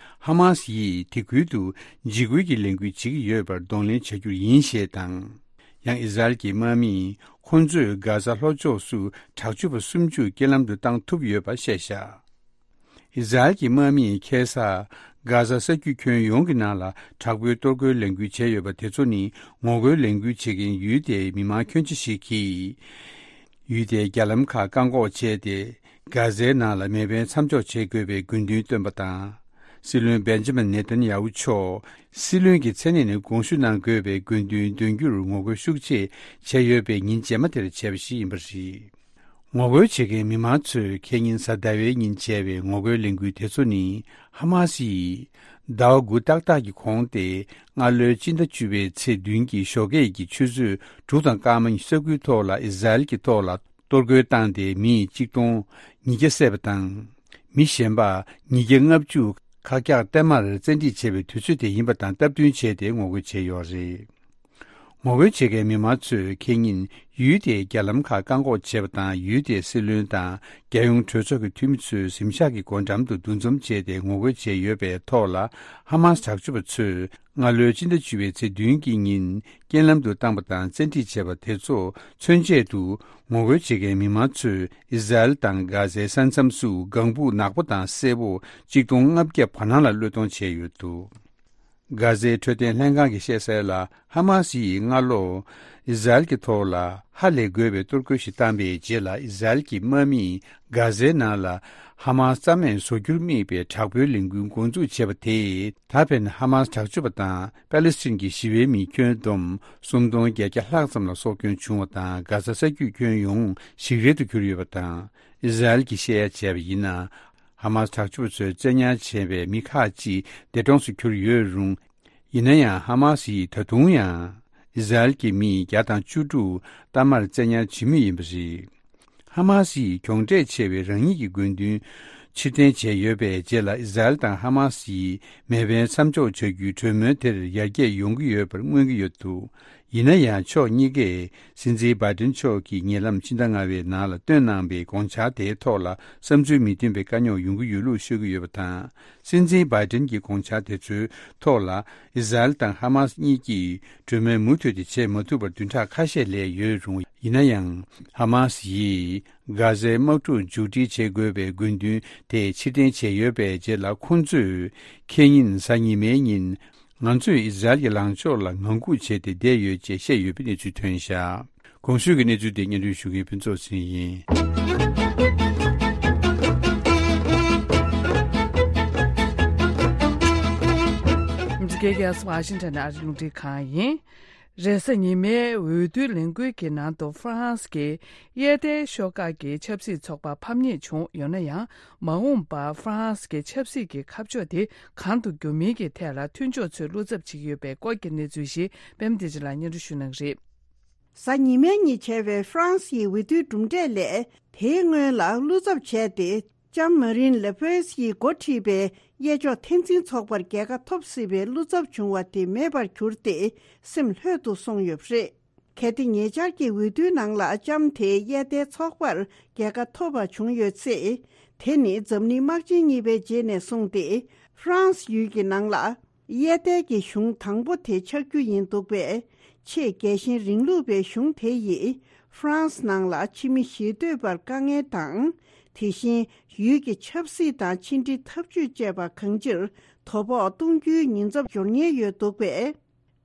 ཧ་མ་སི་ཡིས་དེ་ཁུལ་དུ་འཇིགས་སྐུལ་གྱི་ལས་འགུལ་བྱེད་ཀྱི་ཡོད་པར་གདོང་ལེན་བྱ་རྒྱུ་ཡིན་ཞེས་དང་། ཡང་ཨི་ཟ་རེལ་གྱི་དམག་མིས་ཁོང་ཚོས་གྷ་ཟ་ལྷོ་ཕྱོགས་སུ་དྲག་སྤྱོད་པ་སུམ་ཅུ་རྐྱེན་ལམ་དུ་བཏང་ཐུབ་ཡོད་པ་བཤད་བཞག་ཨི་ཟ་རེལ་གྱི་དམག་མིས་ཁ་སང་གྷ་ཟ་ས་རྒྱུད་ཁྱོན་ཡོངས་ཀྱི་ནང་ལ་དྲག་པོའི་གཏོར་རྒོལ་ལས་འགུལ་བྱས་ཡོད་པ་དེ་ཚོ་ནི་ངོ་རྒོལ་ལས་འགུལ་བྱེད་མཁན་ཡུལ་དེའི་མི་མང་ཁྱོན་ཆེ་ཞིག་གིས་ཡུལ་དེའི་རྒྱ་ལམ་ཁག་བཀག་འགོག་བྱས་ཏེ། གྷ་ཟའི་ནང་ལ་མེ་འཕེན་མཚམས་འཇོག་བྱེད་དགོས་པའི་དགོས་འདུན་བཏོན་པ་དང་། སྲིད་བློན་བེན་ཇ་མིན་ནེ་ཐན་ཡ་ཧུ་མཆོག་སྲིད་བློན་གྱི་མཚན་གནས་ནས་དགོངས་ཞུ་གནང་དགོས་པའི་དགོས་འདུན་འདོན་རྒྱུར་ངོ་རྒོལ་ཤུགས་ཆེ་བྱས་ཡོད་པའི་ཉིན་རྗེས་མ་དེར་བྱས་པ་ཞིག་ཡིན་པ་རེད། ངོ་རྒོལ་བྱེད་མཁན་མི་མང་ཚོས་ཁེ་ཉིན་གཟའ་ཟླ་བའི་ཉིན་བྱས་པའི་ངོ་རྒོལ་ལས་འགུལ་དེ་ཚོ་ནི་ཧ་མ་སི་ཡིས་ཟླ་བ་དགུ་ཏག་ཏག་གི་གོང་སྟེ་སྔ་ལོའི་སྤྱི་ཟླ་བཅུ་པའི་ཚེས་བདུན་གྱི་ཞོགས་ཀས་ཀྱི་ཆུ་ཚོད་དྲུག་དང་སྐར་མ་ཉི་ཤུ་རྩ་དགུའི་ཐོག་ལ་ཨི་ཟ་རེལ་གྱི་ཐོག་ལ་གཏོར་རྒོལ་བཏང་སྟེ་མི་གཅིག་སྟོང་ཉིས་བརྒྱ་བསད་པ་དང་། མི་གཞན་པ་ཉིས་བརྒྱ་ལྔ་བཅུ་ཁག་རྒྱག་གཏའ་མར་བཙན་ཁྲིད་བྱས་པའི་དུས་ཚོད་དེ་ཡིན་པ་དང་སྟབས་བསྟུན་བྱས་ཏེ་ངོ་རྒོལ་བྱས་ཡོད་རེད། ངོ་རྒོལ་བྱེད་མཁན་མི་མང་ཚོས་ཁེ་ཉིན་ཡུལ་དེའི་རྒྱ་ལམ་ཁག་བཀག་འགོག་བྱས་པ་དང་ཡུལ་དེའི་སྲིད་བློན་དང་རྒྱལ་ཡོངས་གྲོས་ཚོགས་ཀྱི་འཐུས་མི་ཚོས་གཟིམ་ཤག་གི་སྒོ་འགྲམ་དུ་འདུ་འཛོམས་བྱས་ཏེ་ངོ་རྒོལ་བྱས་ཡོད་པའི་ཐོག་ལ་ཧ་མ་སི་དྲག་སྤྱོད་པ་ཚོས་སྔ་ལོའི་སྤྱི་ཟླ་བཅུ་པའི་ཚེས་བདུན་གྱི་ཉིན་རྐྱེན་ལམ་དུ་བཏང་པ་དང་བཙན་ཁྲིད་བྱས་པ་དེ་ཚོ་མཚོན་ཆེད་དུ་ངོ་རྒོལ་བྱེད་མཁན་མི་མང་ཚོས་ཨི་ཟ་རེལ་དང་གྷ་ཟའི་ས་མཚམས་སུ་ལྒང་ཕུག་ནག་པོ་དང་སེར་པོ་གཅིག་སྟོང་ལྔ་བརྒྱ་བར་སྣང་ལ་བློས་གཏོང་བྱས་ཡོད་འདུག་གྷ་ཟའི་འཕྲོད་བསྟེན་ལྷན་ཁང་གིས་བཤད་གསལ་ལ། ཧ་མ་སི་ཡིས་སྔ་ལོ་ཨི་ཟ་རེལ་གྱི་ཐོག་ལ་ཧ་ལས་དགོས་པའི་གཏོར་རྒོལ་ཞིག་བཏང་པའི་རྗེས་ལ། ཨི་ཟ་རེལ་གྱི་དམག་མིས་གྷ་ཟའི་ནང་ལ་ཧ་མ་སི་རྩ་མེད་བཟོ་རྒྱུར་དམིགས་པའི་དྲག་པོའི་ལས་འགུལ་འགོ་འཛུགས་བྱས་པ་དེས། ད་ཕན་ཧ་མ་སི་དྲག་སྤྱོད་པ་དང་པ་ལི་སི་ཐན་གྱི་ཞི་བའི་མི་ཁྱོན་བསྡོམས་སུམ་སྟོང་བརྒྱད་བརྒྱ་ལྷག་ཙམ་ལ་སྲོག་སྐྱོན་བྱུང་བ་དང་། གྷ་ཟ་ས་རྒྱུད་ཁྱོན་ཡོངས་ཞིག་རལ་དུ་གྱུར་ཡོད་པ་དང་། ཨི་ཟ་རེལ་གྱིས་བཤད་ཡ་བྱས་པ་ཡིན་ན། ཧ་མ་སི་དྲག་སྤྱོད་པ་ཚོས་བཙན་ཉར་བྱས་པའི་མི་ཁག་ཅིག་འདས་གྲོངས་སུ་གྱུར་ཡོད་རུང་། ཡིན་ན་ཡང་ཧ་མ་སི་ཡིས་ད་དུང་ཡང་ཨི་ཟ་རེལ་གྱི་མི་བརྒྱ་དང་བཅུ་དྲུག་གཏའ་མར་བཙན་ཉར་བྱེད་མུས་ཡིན་པ་རེད། ཧ་མ་སི་ཡིས་གྱོང་གྲད་ཆེ་བའི་རང་ཉིད་ཀྱི་དགོས་འདུན་ཕྱིར་འཐེན་བྱས་ཡོད་པའི་རྗེས་ལ། ཨི་ཟ་རེལ་དང་ཧ་མ་སི་ཡིས་མེ་འཕེན་མཚམས་འཇོག་བྱ་རྒྱུའི་གྲོས་མོལ་དེར་ཡར་རྒྱས་ཡོང་གི་ཡོད་པར་མངོན་གྱི་ཡོད་འདུག་ཡིན་ན་ཡང་ཕྱོགས་གཉིས་ཀས་སྲིད་འཛིན་བྷའི་ཏིན་མཆོག་གིས་ཉེ་ལམ་ཕྱི་ཟླ་ལྔ་པའི་ནང་ལ་བཏོན་གནང་པའི་དགོངས་འཆར་དེའི་ཐོག་ལ་བསམ་ཚུལ་མི་མཐུན་པའི་དཀའ་རྙོག་ཡོང་གི་ཡོད་ལུགས་ཤོད་ཀྱི་ཡོད་པ་དང་། སྲིད་འཛིན་བྷའི་ཏིན་གྱི་དགོངས་འཆར་དེ་ཚོའི་ཐོག་ལ་ཨི་ཟ་རེལ་དང་ཧ་མ་སི་གཉིས་ཀྱིས་གྲོས་མོལ་མུ་མཐུད་དེ་བྱེད་མ་ཐུབ་པར་བདུན་ཕྲག་ཁ་ཤས་ལས་ཡོད་རུང་། ཡིན་ན་ཡང་ཧ་མ་སི་ཡིས་གྷ་ཟའི་དམག་འཁྲུག་མཇུག་སྒྲིལ་བྱེད་དགོས་པའི་དགོས་འདུན་དེ་ཕྱིར་འཐེན་བྱས་ཡོད་པའི་རྗེས་ལ། ཁོང་ཚོས་ཁེ་ཉིན་གཟའ་ཉི་མའི་ཉིན། ང་ཚོས་ཨི་ཟ་རེལ་གྱི་ལངས་ཕྱོགས་ལ་ངང་སྒུག་བྱས་ཏེ་བསྡད་ཡོད་ཅེས་བཤད་ཡོད་པའི་གནས་ཚུལ་ཐོན་བཞག་གོང་ཞུས་ཀྱི་གནས་ཚུལ་དེ་སྙན་སྒྲོན་ཞུ་མཁན་ཕུན་ཚོགས་ཟིན་ཡིན། འཛིན་གྱི་ཡ་སི་ཝ་ཤིང་ཊོན་ཨ་རི་རླུང་འཕྲིན་ཁང་ཡིན། རེས་གཟའ་ཉི་མའི་འོས་བསྡུའི་ལས་འགུལ་གྱི་ནང་དུ་ཧྥ་རན་སི་གི་གཡས་ལྡན་ཤོག་ཁག་གི་ཆབ་སྲིད་ཚོགས་པ་ཕམ་ཉེས་བྱུང་ཡོད་ན་ཡང་། མ་འོངས་པར་ཧྥ་རན་སི་གི་ཆབ་སྲིད་ཀྱི་ཁ་ཕྱོགས་དེ་གང་དུ་འགྱུར་མིན་གྱི་ཐད་ལ་མཐུན་ཕྱོགས་ཚོས་བློ་འཚབ་བྱེད་ཀྱི་ཡོད་པའི་སྐོར་གྱི་གནས་ཚུལ་ཞིག་པད་མ་བདེ་ཆེན་ལགས་སྙན་སྒྲོན་ཞུ་གནང་གི་རེད། གཟའ་ཉི་མའི་ཉིན་བྱས་པའི་ཧྥ་རན་སིའི་འོས་བསྡུའི་གྲུབ་འབྲས་ལས། དེའི་སྔོན་ལ་བློ་འཚབ་བྱས་ཏེ། ལྕམ་མ་རིན་ལེ་པེན་ཡིས་འགོ་ཁྲིད་པའི་གཡས་ཕྱོགས་འཐབ་འཛིང་ཚོགས་པར་རྒྱལ་ཁ་ཐོབ་སྲིད་པའི་བློ་འཚབ་བྱུང་བ་དེ་མེད་པར་གྱུར་ཏེ། སེམས་ལྷོད་དུ་སོང་ཡོད་པ་རེད། གལ་ཏེ་ཉེ་ཆར་གྱི་འོས་བསྡུའི་ནང་ལ་ལྕམ་དེས་གཡས་ལྡན་ཚོགས་པར་རྒྱལ་ཁ་ཐོབ་པ་བྱུང་ཡོད་ཚེ། དེ་ནི་འཛམ་གླིང་དམག་ཆེན་གཉིས་པའི་རྗེས་ནས་བཟུང་སྟེ། ཧྥ་རན་སི་ཡུལ་གྱི་ནང་ལ། གཡས་ཐལ་གྱི་གཞུང་དང་པོ་དེ་ཆགས་རྒྱུ་ཡིན་འདུག་པས། ཆེས་རྒྱལ་ཞེན་རིང་ལུགས་པའི་གཞུང་དེ་ཡིས་ཧྥ་རན་སི་ནང་ལ་ཕྱི་མི་ཞེ་འདོད་པར་དཀའ་ངལ་དང་། དེ་བཞིན་ཡུལ་གྱི་ཆབ་སྲིད་དང་ཕྱི་འབྲེལ་འཐབ་ཇུས་བཅས་པ་གང་ཅིར་དོ་ཕོག་གཏོང་རྒྱུའི་ཉེན་ཚབས་འབྱོར་ཉེན་ཡོད་འདུག་པས།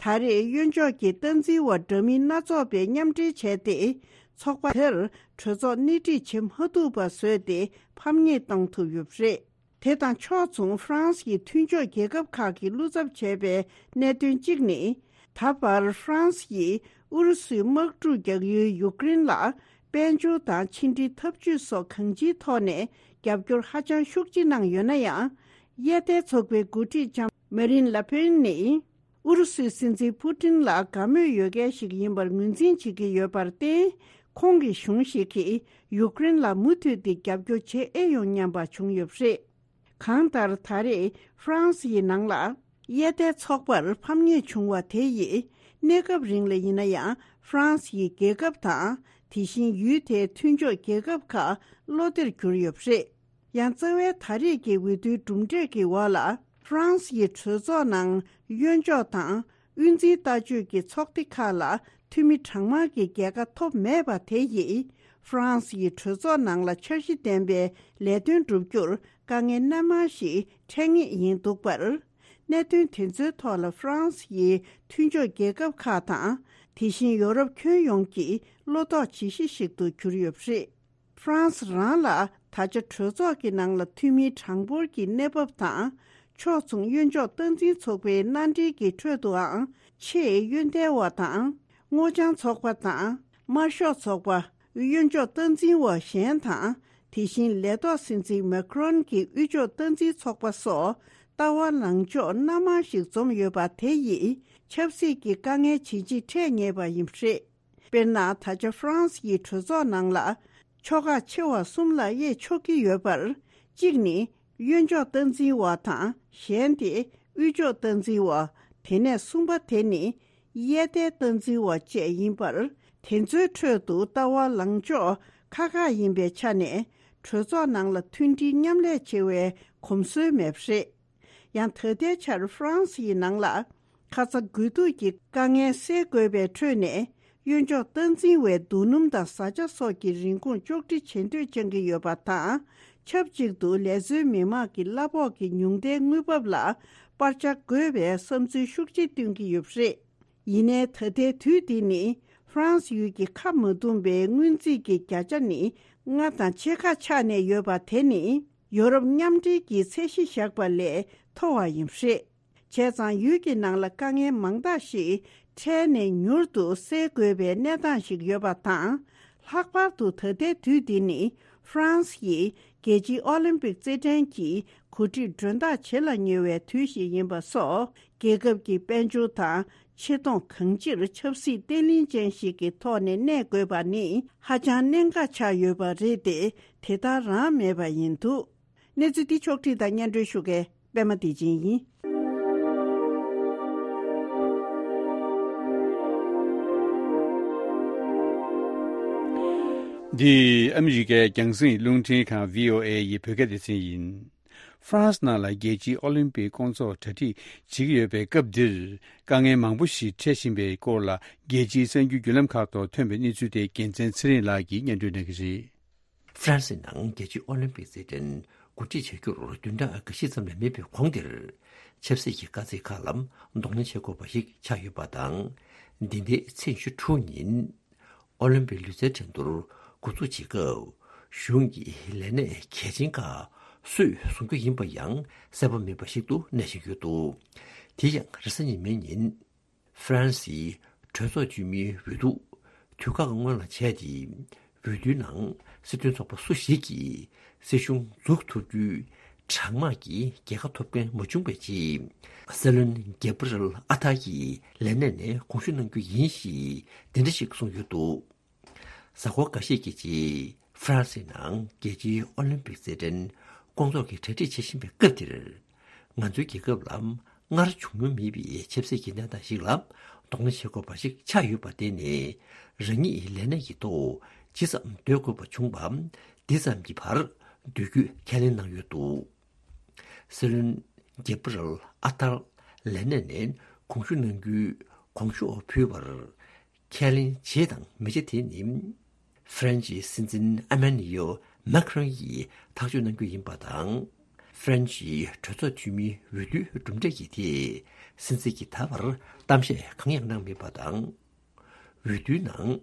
ད་རེས་གཡོན་ཕྱོགས་ཀྱི་སྟངས་འཛིན་པ་འདྲ་མིན་སྣ་ཚོགས་པས་མཉམ་འབྲེལ་བྱས་ཏེ། ཚོགས་པ་དེར་གྲོས་ཚོགས་སྣེ་ཁྲིད་བྱེད་མ་ཐུབ་པ་བཟོས་ཏེ་ཕམ་ཉེས་བཏང་ཐུབ་ཡོད་པ་རེད། དེ་དང་ཕྱོགས་མཚུངས་ཧྥ་རན་སི་ཡི་མཐུན་ཕྱོགས་རྒྱལ་ཁབ་ཁག་གིས་བློ་འཚབ་བྱས་པའི་གནད་དོན་གཅིག་ནི། ད་བར་ཧྥ་རན་སི་ཡིས་ཨུ་རུ་སུའི་དམག་འཁྲུག་རྒྱག་ཡུལ་ཡུཀ་རེན་ལ་དཔལ་འབྱོར་དང་ཕྱི་འབྲེལ་འཐབ་ཇུས་སོགས་གང་ཅིའི་ཐོག་ནས་རྒྱབ་སྐྱོར་ཧ་ཅང་ཤུགས་ཆེ་གནང་ཡོད་ན་ཡང་། གཡས་ཐལ་ཚོགས་པའི་འགོ་ཁྲིད་ལྕམ་མ་རིན་ལ་ཕེན་ནི། ཨུ་རུ་སུའི་སྲིད་འཛིན་པུ་ཏིན་ལ་དགའ་མོས་ཡོད་མཁན་ཞིག་ཡིན་པར་ངོས་འཛིན་བྱེད་ཀྱི་ཡོད་པར་བརྟེན། ཁོང་གི་གཞུང་ཞིག་གིས་ཡུཀ་རེན་ལ་མུ་མཐུད་དེ་རྒྱབ་སྐྱོར་བྱེད་ཨེ་ཡོང་སྙམ་པ་བྱུང་ཡོད་པ་རེད། གང་ལྟར་ད་རེས་ཧྥ་རན་སི་ཡི་ནང་ལ་གཡས་ཐལ་ཚོགས་པར་ཕམ་ཉེས་བྱུང་བ་དེ་ཡིས་གནས་སྐབས་རིང་ལ་ཡིན་ན་ཡང་ཧྥ་རན་སི་ཡི་རྒྱལ་ཁབ་དང་། དེ་བཞིན་ཡུལ་དེའི་མཐུན་ཕྱོགས་རྒྱལ་ཁབ་ཁག་བློ་བདེར་གྱུར་ཡོད་པ་རེད། ཡང་རྩ་བའི་ད་རེས་ཀྱི་འོས་བསྡུའི་གྲུབ་འབྲས་ཀྱི་འོག་ལ། ཧྥ་རན་སི་ཡི་གྲོས་ཚོགས་ནང་གཡོན་ཕྱོགས་དང་དབུས་འཛིན་ལྟ་སྤྱོད་ཀྱི་ཚོགས་སྡེ་ཁག་ལ་འཐུས་མི་གྲངས་མང་གི་རྒྱལ་ཁ་ཐོབ་མེད་པ་དེ་ཡིས། ཧྥ་རན་སི་ཡི་གྲོས་ཚོགས་ནང་ལ་འཆར་གཞི་ལྡན་པའི་ལས་དོན་བསྒྲུབ་རྒྱུར་དཀའ་ངལ་སྣ་མང་ཞིག་འཕྲད་ངེས་ཡིན་འདུག་པར། གནད་དོན་དེ་ཚོའི་ཐོག་ལ་ཧྥ་རན་སི་ཡི་མཐུན་ཕྱོགས་རྒྱལ་ཁབ་ཁག་དང་། དེ་བཞིན་ཡོ་རོབ་ཁྱོན་ཡོངས་ཀྱིས་བློ་དོགས་བྱེད་གཞི་ཞིག་ཏུ་གྱུར་ཡོད་པ་རེད། ཧྥ་རན་སི་རང་ལ་ད་ཆ་གྲོས་ཚོགས་ཀྱི་ནང་ལ་འཐུས་མི་གྲངས་འབོར་གྱི་གནས་བབ་དང་། ཕྱོགས་མཚུངས་གཡོན་ཕྱོགས་སྟངས་འཛིན་ཚོགས་པའི་མནའ་འབྲེལ་གྱི་ཁྲོད་དུའང་ཆེས་གཡོན་ཐལ་བ་དང་། སྔོ་ལྗང་ཚོགས་པ་དང་། དམར་ཤོག་ཚོགས་པ། གཡོན་ཕྱོགས་སྟངས་འཛིན་པ་གཞན་དང་། དེ་བཞིན་ལས་ཐོག་སྲིད་འཛིན་མེ་ཁི་རོན་གྱི་དབུས་ཕྱོགས་སྟངས་འཛིན་ཚོགས་པ་སོགས་ལྟ་བ་ལངས་ཕྱོགས་སྣ་མང་ཞིག་འཛོམས་ཡོད་པ་དེ་ཡིས་ཆབ་སྲིད་ཀྱི་དཀའ་ངལ་ཇི་ཆེ་འཕྲད་ངེས་པ་ཡིན་པ་རེད། དཔེར་ན། ད་ཆ་ཧྥ་རན་སི་ཡི་གྲོས་ཚོགས་ནང་ལ་ཕྱོགས་ཁག་ཆེ་བ་གསུམ་ལ་དབྱེ་ཆོག་གི་ཡོད་པར། གཅིག་ནི་གཡོན་ཕྱོགས་སྟངས་འཛིན་པ་དང་། གཞན་དེ་དབུས་ཕྱོགས་སྟངས་འཛིན་པ། དེ་ནས་གསུམ་པ་དེ་ནི་གཡས་ཐལ་སྟངས་འཛིན་པ་བཅས་ཡིན་པར། དེ་ཚོའི་ཁྲོད་དུ་ལྟ་བ་ལངས་ཕྱོགས་ཁག་ཁག་ཡིན་པའི་ཆ་ནས་གྲོས་ཚོགས་ནང་ལ་མཐུན་སྒྲིལ་མཉམ་ལས་བྱེད་པའི་གོམས་སྲོལ་མེད་པ་རེད། ཡང་ད་ལྟའི་ཆར་ཧྥ་རན་སི་ཡི་ནང་ལ་ཁ་ཚ་དགོས་གཏུགས་ཀྱི་དཀའ་ངལ་སེལ་དགོས་པའི་ཁྲོད་ནས། གཡོན་ཕྱོགས་སྟངས་འཛིན་པའི་རྡོ་སྣུམ་དང་བཟའ་བཅའ་སོགས་ཀྱི་རིན་གོང་གཅོག་འཕྲི་བྱེད་འདོད་བཅངས་ཀྱི་ཡོད་པ་དང་། ཆབས་ཅིག་ཏུ་ལས་བཟོའི་མི་དམངས་ཀྱི་གླ་ཕོགས་ཀྱི་ཉུང་མཐའི་དངུལ་འབབ་ལ་སྤར་ཆ་དགོས་པའི་བསམ་ཚུལ་ཤུགས་ཆེ་བཏོན་གྱི་ཡོད་པ་རེད། ཡིན་ནའི་ད་ལྟའི་དུས་འདི་ནི་ཧྥ་རན་སི་ཡུལ་གྱི་ཁ་མ་བརྡུངས་པའི་སྔོན་རྩིས་ཀྱི་བརྒྱ་ཆ་ནི་ལྔ་དང་ཕྱེད་ཀ་ཆག་ནས་ཡོད་པ་དེ་ནི་ཡོ་རོབ་མཉམ་འབྲེལ་གྱི་ཚད་གཞི་བཞག་པ་ལས་མཐོ་བ་ཡིན་པ་རེད། བྱས་ཙང་ཡུལ་གྱི་ནང་ལ་དཀའ་ངལ་མང་དག་ཞིག་འཕྲལ་ནས་མྱུར་དུ་སེལ་དགོས་པའི་གནས་སྟངས་ཤིག་ཡོད་པ་དང་། ལྷག་པར་དུ་ད་ལྟའི་དུས་འདི་ནི་ཧྥ་རན་སི་ཡིས་རྒྱལ་སྤྱིའི་ཨོ་ལིམ་པིག་རྩེད་འགྲན་གྱི་གོ་སྒྲིག་མགྲོན་བདག་བྱེད་ལ་ཉེ་བའི་དུས་ཤིག་ཡིན་པ་སོགས། རྒྱལ་ཁབ་ཀྱི་དཔལ་འབྱོར་དང་ཆེ་མཐོང་གང་ཅིར་ཆབ་སྲིད་བརྟན་ལྷིང་ཅན་ཞིག་གི་ཐོག་ནས་གནས་དགོས་པ་ནི་ཧ་ཅང་གནད་འགག་ཆགས་ཡོད་པ་རེད་དེ། དེ་ལྟར་རང་མེད་པ་ཡིན་འདུག་གནས་ཚུལ་འདི་ཕྱོགས་བསྒྲིགས་དང་སྙན་སྒྲོན་ཞུ་མཁན་པད་མ་བདེ་ཆེན་ཡིན། འདི་ཨ་མི་རི་ཀའི་རྒྱང་སྲིང་རླུང་འཕྲིན་ཁང་བྷི་ཨོ་ཨེ་ཡི་བོད་སྐད་སྡེ་ཚན་ཡིན། ཧྥ་རན་སི་ནང་ལ་རྒྱལ་སྤྱིའི་ཨོ་ལིམ་པིག་སྐོང་ཚོགས་གྲ་སྒྲིག་བྱེད་ཀྱི་ཡོད་པའི་སྐབས་འདིར། དཀའ་ངལ་མང་པོ་ཞིག་འཕྲད་བཞིན་པའི་སྐོར་ལ། རྒྱལ་སྤྱིའི་གསར་འགྱུར་བརྒྱུད་ལམ་ཁག་ཐོག་ཐོན་པའི་གནས་ཚུལ་དེ་རྒྱལ་མཚན་ཚེ་རིང་ལགས་ཀྱིས་སྙན་སྒྲོན་གནང་གི་རེད། ཧྥ་རན་སི་ནང་རྒྱལ་སྤྱིའི་ཨོ་ལིམ་པིག་རྩེད་འགྲན་གོ་སྒྲིག་བྱ་རྒྱུར་བདུན་ཕྲག་འགའ་ཤས་ཙམ་ལས་མེད་པའི་གོང་དེར། ཆབ་སྲིད་ཀྱི་དཀའ་ཚེགས་ཁག་ལ་གདོང་ལེན་བྱེད་དགོས་པ་ཞིག་ཆགས་ཡོད་པ་དང་། འདི་ཟླའི་ཚེས་ཉི་ཤུ་དྲུག་ཉིན། ཨོ་ལིམ་པིག་ལུས་རྩལ་འགྲན་བསྡུར་འགོ་འཛུགས་བྱེད་སྐབས། གཞུང་གི་ལས་གནས་གལ་ཆེན་ཁག་སུས་བཟུང་རྒྱུ་ཡིན་པ་ཡང་གསལ་པོ་མེད་པ་ཞིག་ཏུ་གནས་བཞིན་ཡོད་འདུག་དེ་ཡང་རེས་གཟའ་ཉི་མའི་ཉིན། ཧྥ་རན་སིའི་གྲོས་ཚོགས་འཐུས་མིའི་འོས་བསྡུ་དུས་བཀག་སྔོན་ལ་བྱས་ཏེ། འོས་བསྡུའི་ནང་སྲིད་དོན་ཚོགས་པ་སུ་ཞིག་གིས་སྲིད་གཞུང་འཛུགས་ཐུབ་རྒྱུའི་གྲངས་མང་གི་རྒྱལ་ཁ་ཐོབ་མཁན་མ་བྱུང་བའི་རྗེས། སྲིད་བློན་གེབ་རལ་ཨ་ཐར་གྱིས་ལས་གནས་ནས་དགོངས་ཞུ་གནང་རྒྱུ་ཡིན་ཞེས་འདི་འདྲ་ཞིག་གསུངས་ཡོད་འདུག་གཟའ་འཁོར་འགའ་ཤས་ཀྱི་རྗེས་ཧྥ་རན་སིའི་ནང་རྒྱལ་སྤྱིའི་ཨོ་ལིམ་པིག་རྩེད་འགྲན་སྐོང་ཚོགས་ཀྱི་གྲ་སྒྲིག་བྱེད་བཞིན་པའི་སྐབས་འདིར། ང་ཚོའི་རྒྱལ་ཁབ་ལ་སྔར་བྱུང་མྱོང་མེད་པའི་ཆབ་སྲིད་ཀྱི་གནས་སྟངས་ཤིག་ལ་གདོང་ལེན་བྱེད་དགོས་པ་ཞིག་ཆགས་ཡོད་པར་བརྟེན་ནས། རང་ཉིད་ལས་གནས་ཀྱི་ཐོག་ཇི་ཙམ་སྡོད་དགོས་པ་བྱུང་བ། འདི་ཙམ་གྱི་བར་སྡོད་རྒྱུ་ཁས་ལེན་གནང་ཡོད་འདུག་སྲིད་བློན་གེབ་རལ་ཨ་ཐར་ ལས་གནས་ནས་དགོངས་ཞུ་གནང་རྒྱུའི་དགོངས་ཞུ་ཕུལ་བར། ཁས་ལེན་བྱེད་དང་མི་བྱེད་དེ་ནི། ཧྥ་རན་ཆིའི་སྲིད་འཛིན་ཨ་མན་ཡོ་མཱ་ཁི་རོན་ཡིས་ཐག་གཅོད་གནང་རྒྱུ་ཡིན་པ་དང་། ཧྥ་རན་ཆིའི་གྲོས་ཚོགས་འཐུས་མིའི་འོས་བསྡུའི་གྲུབ་འབྲས་ཀྱི་ཐད་སྲིད་འཛིན་གྱིས་ད་བར་གཏམ་བཤད་གང་ཡང་གནང་མེད་པ་དང་། འོས་བསྡུའི་ནང་།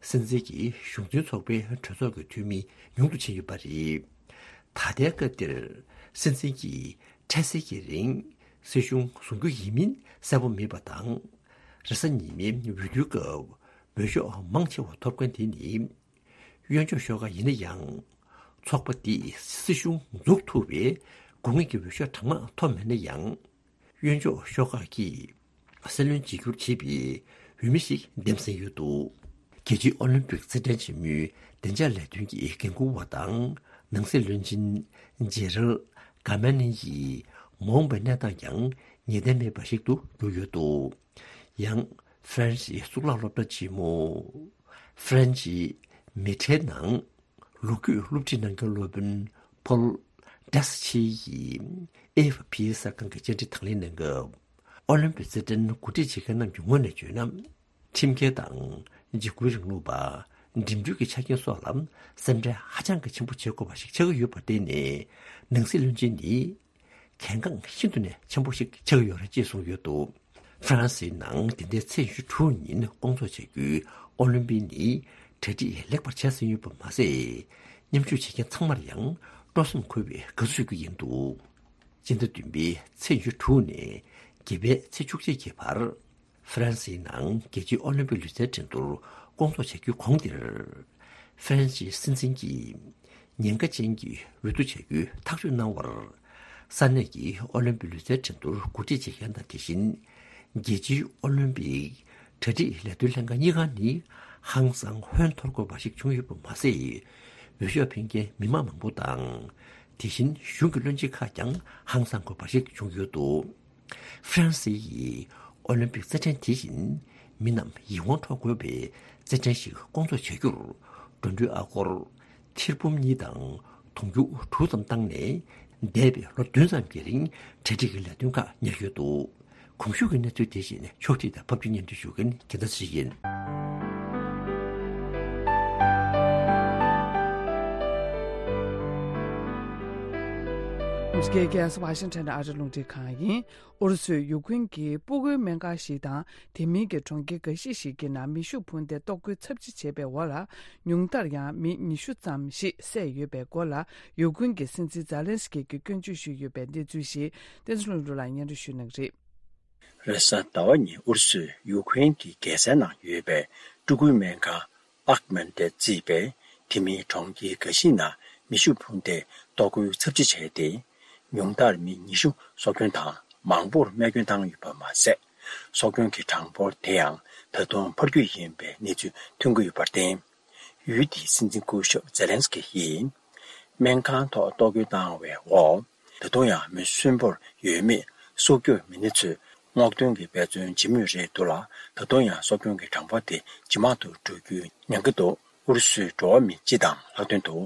སྲིད་འཛིན་གྱི་གཞུང་འཛིན་ཚོགས་པའི་གྲོས་ཚོགས་ཀྱི་འཐུས་མི་ཉུང་དུ་ཕྱིན་ཡོད་པ་རེད། ད་ལྟའི་སྐབས་འདིར་སྲིད་འཛིན་གྱིས་འཕྲལ་སེལ་གྱི་རིང་སྲིད་གཞུང་བཟུང་རྒྱུ་ཡིན་མིན་གསལ་པོ་མེད་པ་དང་། རེས་གཟའ་ཉི་མའི་འོས་བསྡུའི་སྐབས་འོས་ཤོག་མང་ཆེ་བ་ཐོབ་མཁན་དེ་ནི། གཡོན་ཕྱོགས་ཤོག་ཁག་ཡིན་ན་ཡང་། ཚོགས་པ་འདིས་སྲིད་གཞུང་འཛུགས་ཐུབ་པའི་དགོས་ངེས་ཀྱི་འོས་ཤོག་གྲངས་མང་ཐོབ་མེད་ན་ཡང་། གཡོན་ཕྱོགས་ཤོག་ཁག་གིས་སྲིད་བློན་བརྗེ་བསྒྱུར་བྱེད་པའི་འོས་མི་ཞིག་འདེམས་ཟིན་ཡོད་འདུག་རྒྱལ་སྤྱིའི་ཨོ་ལིམ་པིག་རྩེད་འགྲན་ཆེན་མོའི་བདེ་འཇགས་ལས་དོན་གྱི་འགན་འཁུར་བ་དང་ནང་སྲིད་བློན་ཆེན་ཇེ་རལ་གྷ་མ་ནི་ཡིས་མ་འོངས་པའི་གནས་སྟངས་ཀྱང་ངེས་གཏན་མེད་པ་ཞིག་ཏུ་གྱུར་ཡོད་འདུག་ཡང་། ཧྥ་རན་སིའི་གཙུག་ལག་སློབ་གྲྭ་ཆེན་མོ། ཧྥ་རན་སིའི་མེ་ཁྲའི་ནང་ལོ་རྒྱུས་སློབ་ཁྲིད་གནང་མཁན་སློབ་དཔོན་ཕོལ་ཌེ་སི་ཆི་ཡིས་ཨེ་ཨེཕ་པི་གསར་ཁང་གི་བཅར་འདྲི་དང་ལེན་གནང་སྐབས། ཨོ་ལིམ་པིག་རྩེད་འགྲན་གོ་སྒྲིག་བྱེད་མཁན་རྣམས་ཀྱི་ངོས་ནས་བརྗོད་ན། ཁྲིམས་འགལ་དང་འཇིགས་སྐུལ་རིང་ལུགས་པ། འགྲིམ་འགྲུལ་གྱི་ཆ་རྐྱེན་སོགས་ལ་སེམས་ཁྲལ་ཧ་ཅང་གི་ཆེན་པོ་བྱེད་དགོས་པ་ཞིག་ཆགས་ཀྱི་ཡོད་པར་བརྟེན་ནས། ནང་སྲིད་བློན་ཆེན་ནི། གལ་འགངས་ཤིན་ཏུ་ནས་ཆེན་པོ་ཞིག་ཆགས་ཀྱི་ཡོད་རེད་ཅེས་གསུངས་ཡོད་འདུག་ཧྥ་རན་སིའི་ནང་འདི་ཟླའི་ཚེས་ཉི་ཤུ་དྲུག་ཉིན་སྐོང་ཚོགས་བྱ་རྒྱུའི་ཨོ་ལིམ་པིག་ནི་གྲ་སྒྲིག་ལེགས་པར་བྱས་ཟིན་ཡོད་པ་མ་ཟད། མཉམ་ཞུགས་བྱེད་མཁན་ཚང་མར་ཡང་སྤྲོ་སེམས་འཁོལ་བའི་དགའ་བསུ་ཞུ་རྒྱུ་ཡིན་འདུག་སྤྱི་ཟླ་བདུན་པའི་ཚེས་ཉི་ཤུ་དྲུག་ནས་བརྒྱད་པའི་ཚེས་བཅུ་གཅིག་གི་བར། ཧྥ་རན་སིའི་ནང་རྒྱལ་སྤྱིའི་ཨོ་ལིམ་པིག་ལུས་རྩལ་འགྲན་བསྡུར་སྐོང་ཚོགས་བྱ་རྒྱུའི་གོང་དེར། ཧྥ་རན་སིའི་སྲིད་འཛིན་གྱིས་ཉེན་ཁ་ཅན་གྱི་འོས་བསྡུ་བྱ་རྒྱུའི་ཐག་གཅོད་གནང་བར། ས་གནས་ཀྱི་ཨོ་ལིམ་པིག་ལུས་རྩལ་འགྲན་བསྡུར་གོ་སྒྲིག་བྱེད་མཁན་དང་དེ་བཞིན། རྒྱལ་སྤྱིའི་ཨོ་ལིམ་པིག་གྲ་སྒྲིག་ལས་དོན་ལྷན་ཁང་གཉིས་ཀ་ནི་ཧང་སང་ཧོན་འཐོར་དགོས་པ་ཞིག་བྱུང་ཡོད་པ་མ་ཟད། འོས་ཤོག་འཕེན་མཁན་མི་མང་མང་པོ་དང་། དེ་བཞིན་གཞུང་གི་བློན་ཆེན་ཁག་ཀྱང་ཧང་སང་དགོས་པ་ཞིག་བྱུང་ཡོད་འདུག་ཧྥ་རན་སི་ཡིས་ཨོ་ལིམ་པིག་རྩེད་འགྲན་དེ་བཞིན་མི་རྣམས་ཡིད་དབང་འཕྲོག་དགོས་པའི་རྩེད་འགྲན་ཞིག་སྐོང་ཚོགས་བྱ་རྒྱུར། འགྲོ་གྲོན་ཨ་སྒོར་ཐེར་འབུམ་གཉིས་དང་དུང་ཕྱུར་དྲུག་ཙམ་བཏང་ནས། འདས་པའི་ལོ་བདུན་ཙམ་གྱི་རིང་གྲ་སྒྲིག་གི་ལས་དོན་ཁག་གཉེར་ཡོད་འདུག་གོང་ཞུས་ཀྱི་གནས་ཚུལ་དེ་བཞིན་ཕྱོགས་སྒྲིག་དང་ཕབ་སྒྱུར་སྙན་སྒྲོན་ཞུ་མཁན་རྒྱལ་མཚན་ཚེ་རིང་ཡིན། འདི་ག་ཨ་རི་རླུང་འཕྲིན་ཁང་ཡིན། ཨུ་རུ་སུས་ཡུཀ་རེན་གྱི་སྤུ་གུའི་སྨན་ཁང་ཞིག་དང་དེ་མིན་གྱི་གྲོང་ཁྱེར་འགའ་ཤས་ཤིག་གི་ནང་མེ་ཤུགས་འཕུར་མདེལ་གཏོར་རྒོལ་ཚབས་ཆེ་བྱས་པའི་འོག་ལ། ཉུང་མཐར་ཡང་མི་ཉི་ཤུ་ཙམ་ཞིག་བསད་ཡོད་པའི་སྐོར་ལ། ཡུཀ་རེན་གྱི་སྲིད་འཛིན་ཛེ་ལན་སི་ཀི་གིས་སྐྱོན་བརྗོད་ཞུས་ཡོད་པའི་གནས་ཚུལ་ཞིག་བསྟན་འཛིན་ལྷུན་གྲུབ་ལགས་སྙན་སྒྲོན་ཞུ་གནང་གི་རེད། རེས་གཟའ་ཟླ་བ་ཉིན་ཨུ་རུ་སུས་ཡུཀ་རེན་གྱི་རྒྱལ་སའི་ནང་ཡོད་པའི་སྤྲུལ་སྐུའི་སྨན་ཁང་། ཨག་མན་ཏེ་བརྩིས་པའི་དེ་མིན་གྲོང་ཁྱེར་འགའ་ཞིག་ནང་མེ་ཤུགས་འཕུར་མདེལ་གཏོར་རྒོལ་ཚབས་ཆེ་བྱས་ཏེ། ཉུང་མཐར་མི་ཉི་ཤུ་སྲོག་སྐྱོན་དང་མང་པོར་རྨས་སྐྱོན་བཏང་ཡོད་པ་མ་ཟད། སྲོག་སྐྱོན་གྱི་གྲངས་འབོར་དེ་ཡང་ད་དུང་འཕར་རྒྱུ་ཡིན་པའི་གནས་ཚུལ་ཐོན་གྱི་ཡོད་པར་བརྟེན། ཡུལ་དེའི་སྲིད་འཛིན་སྐུ་ཞབས་ཛེ་ལན་སི་ཀི་ཡིས། སྨན་ཁང་ཐོག་གཏོར་རྒོལ་བཏང་བའི་འོག་ད་དུང་ཡང་མི་གསོན་པོར་ཡོད་མེད་སྲོག་སྐྱོབ་མི་སྣ་ཚོས་སྔོག་འདོན་གྱི་འབད་བརྩོན་བྱེད་མུས་རེད་འདུག་ལ། ད་དུང་ཡང་སྲོག་སྐྱོན་གྱི་གྲངས་འབོར་དེ་ཇེ་མང་དུ་འགྲོ་རྒྱུའི་ཉེན་ཁ་འདུག་ཨུ་རུ་སུའི་འགྲོ་བ་མི་སྤྱི་དང་ལྷག་དོན་དུ།